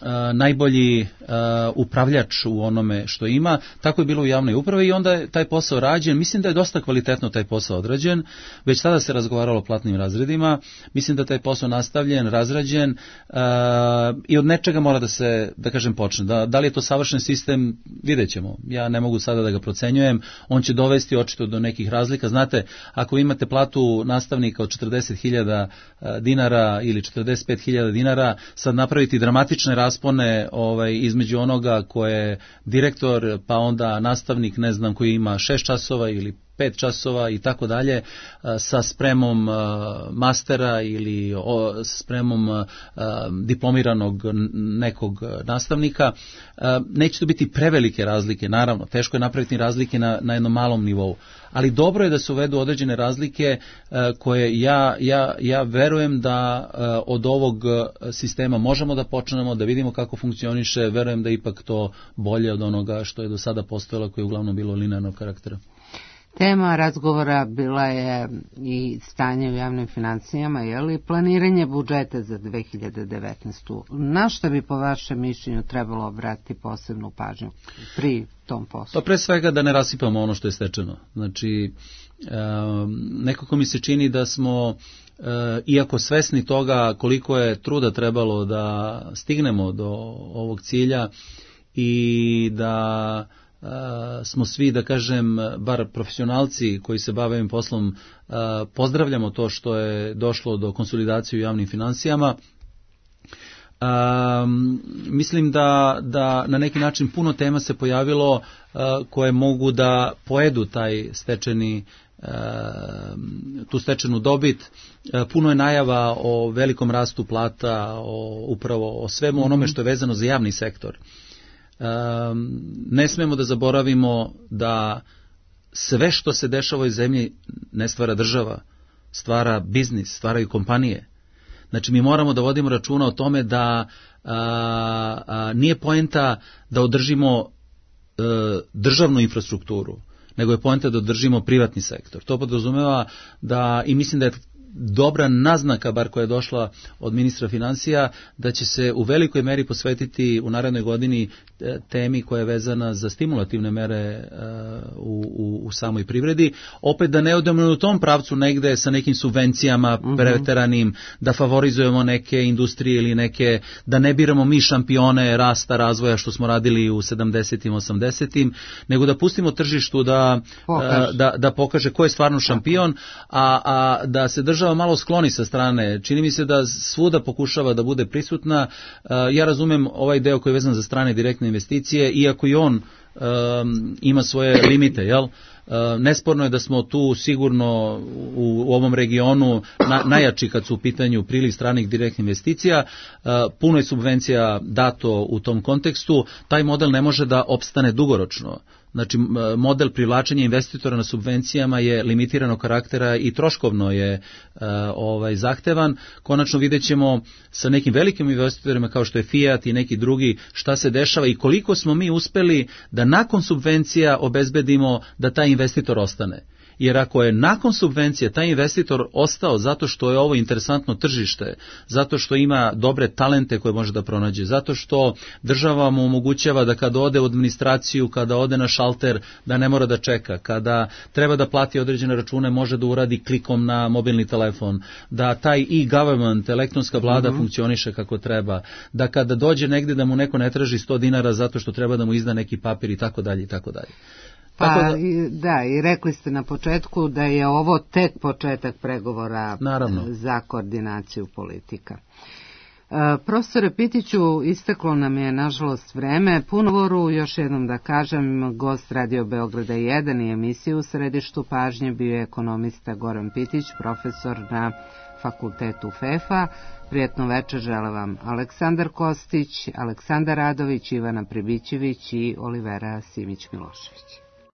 a, najbolji a, upravljač u onome što ima, tako je bilo u javnoj upravi i onda je taj posao rađen. Mislim da je dosta kvalitetno taj posao odrađen, već tada se razgovaralo o platnim razredima, mislim da taj posao nastavljen, razrađen a, i od nečega mora da se, da kažem, počne. Da, da li je to savršen sistem, vidjet ćemo. Ja ne mogu sada da ga procenjujem, on će dovesti očito do nekih razlika. Znate, ako imate platu nastavnika od četrdeset hiljada dinara ili četrdeset pet hiljada dinara, sad napraviti dramatične raspone ovaj, između onoga ko je direktor, pa onda nastavnik, ne znam, koji ima šest časova ili pet časova i tako dalje, sa spremom mastera ili spremom diplomiranog nekog nastavnika. Neće to biti prevelike razlike, naravno, teško je napraviti razlike na, na jednom malom nivou, ali dobro je da se uvedu određene razlike koje ja, ja, ja verujem da od ovog sistema možemo da počnemo, da vidimo kako funkcioniše, verujem da ipak to bolje od onoga što je do sada postojalo, koje je uglavnom bilo linearnog karaktera. Tema razgovora bila je i stanje u javnim financijama, je li planiranje budžeta za dve hiljade devetnaestu. Na što bi po vašem mišljenju trebalo obratiti posebnu pažnju pri tom poslu? Pa pre svega da ne rasipamo ono što je stečeno. Znači, nekako mi se čini da smo, iako svesni toga koliko je truda trebalo da stignemo do ovog cilja i da Uh, smo svi, da kažem, bar profesionalci koji se bave ovim poslom, uh, pozdravljamo to što je došlo do konsolidacije u javnim financijama. Uh, mislim da, da na neki način puno tema se pojavilo uh, koje mogu da pojedu taj stečeni uh, tu stečenu dobit. Uh, puno je najava o velikom rastu plata, o, upravo o svemu onome što je vezano za javni sektor. Um, ne smemo da zaboravimo da sve što se dešava u ovoj zemlji ne stvara država, stvara biznis, stvaraju kompanije. Znači mi moramo da vodimo računa o tome da a, a, nije poenta da održimo a, državnu infrastrukturu, nego je poenta da održimo privatni sektor. To podrazumeva da, i mislim da je dobra naznaka, bar koja je došla od ministra financija, da će se u velikoj meri posvetiti u narednoj godini temi koja je vezana za stimulativne mere u, u, u samoj privredi. Opet da ne odemo u tom pravcu negde sa nekim subvencijama preteranim, da favorizujemo neke industrije ili neke, da ne biramo mi šampione rasta, razvoja što smo radili u sedamdesetim, osamdesetim, nego da pustimo tržištu da pokaže, da, da pokaže ko je stvarno šampion, a, a da se država malo skloni sa strane. Čini mi se da svuda pokušava da bude prisutna. Ja razumem ovaj deo koji je vezan za strane direktne investicije, iako i on um, ima svoje limite, jel? Nesporno je da smo tu sigurno u, u ovom regionu na, najjači kad su u pitanju priliv stranih direktnih investicija. Puno je subvencija dato u tom kontekstu. Taj model ne može da opstane dugoročno. Znači, model privlačenja investitora na subvencijama je limitiranog karaktera i troškovno je uh, ovaj, zahtevan. Konačno vidjet ćemo sa nekim velikim investitorima kao što je Fiat i neki drugi šta se dešava i koliko smo mi uspeli da nakon subvencija obezbedimo da taj investitor ostane. Jer ako je nakon subvencije taj investitor ostao zato što je ovo interesantno tržište, zato što ima dobre talente koje može da pronađe, zato što država mu omogućava da kada ode u administraciju, kada ode na šalter, da ne mora da čeka, kada treba da plati određene račune, može da uradi klikom na mobilni telefon, da taj e-government, elektronska vlada mm-hmm. funkcioniše kako treba, da kada dođe negde da mu neko ne traži sto dinara zato što treba da mu izda neki papir i tako dalje i tako dalje. Pa da, da, i rekli ste na početku da je ovo tek početak pregovora Naravno. za koordinaciju politika. E, profesore Pitiću, isteklo nam je nažalost vreme. Punovoru, još jednom da kažem, gost Radio Beograda jedan i emisiju u središtu pažnje bio je ekonomista Goran Pitić, profesor na fakultetu F E F a. Prijetno večer žele vam Aleksandar Kostić, Aleksandar Radović, Ivana Pribićević i Olivera Simić-Milošević.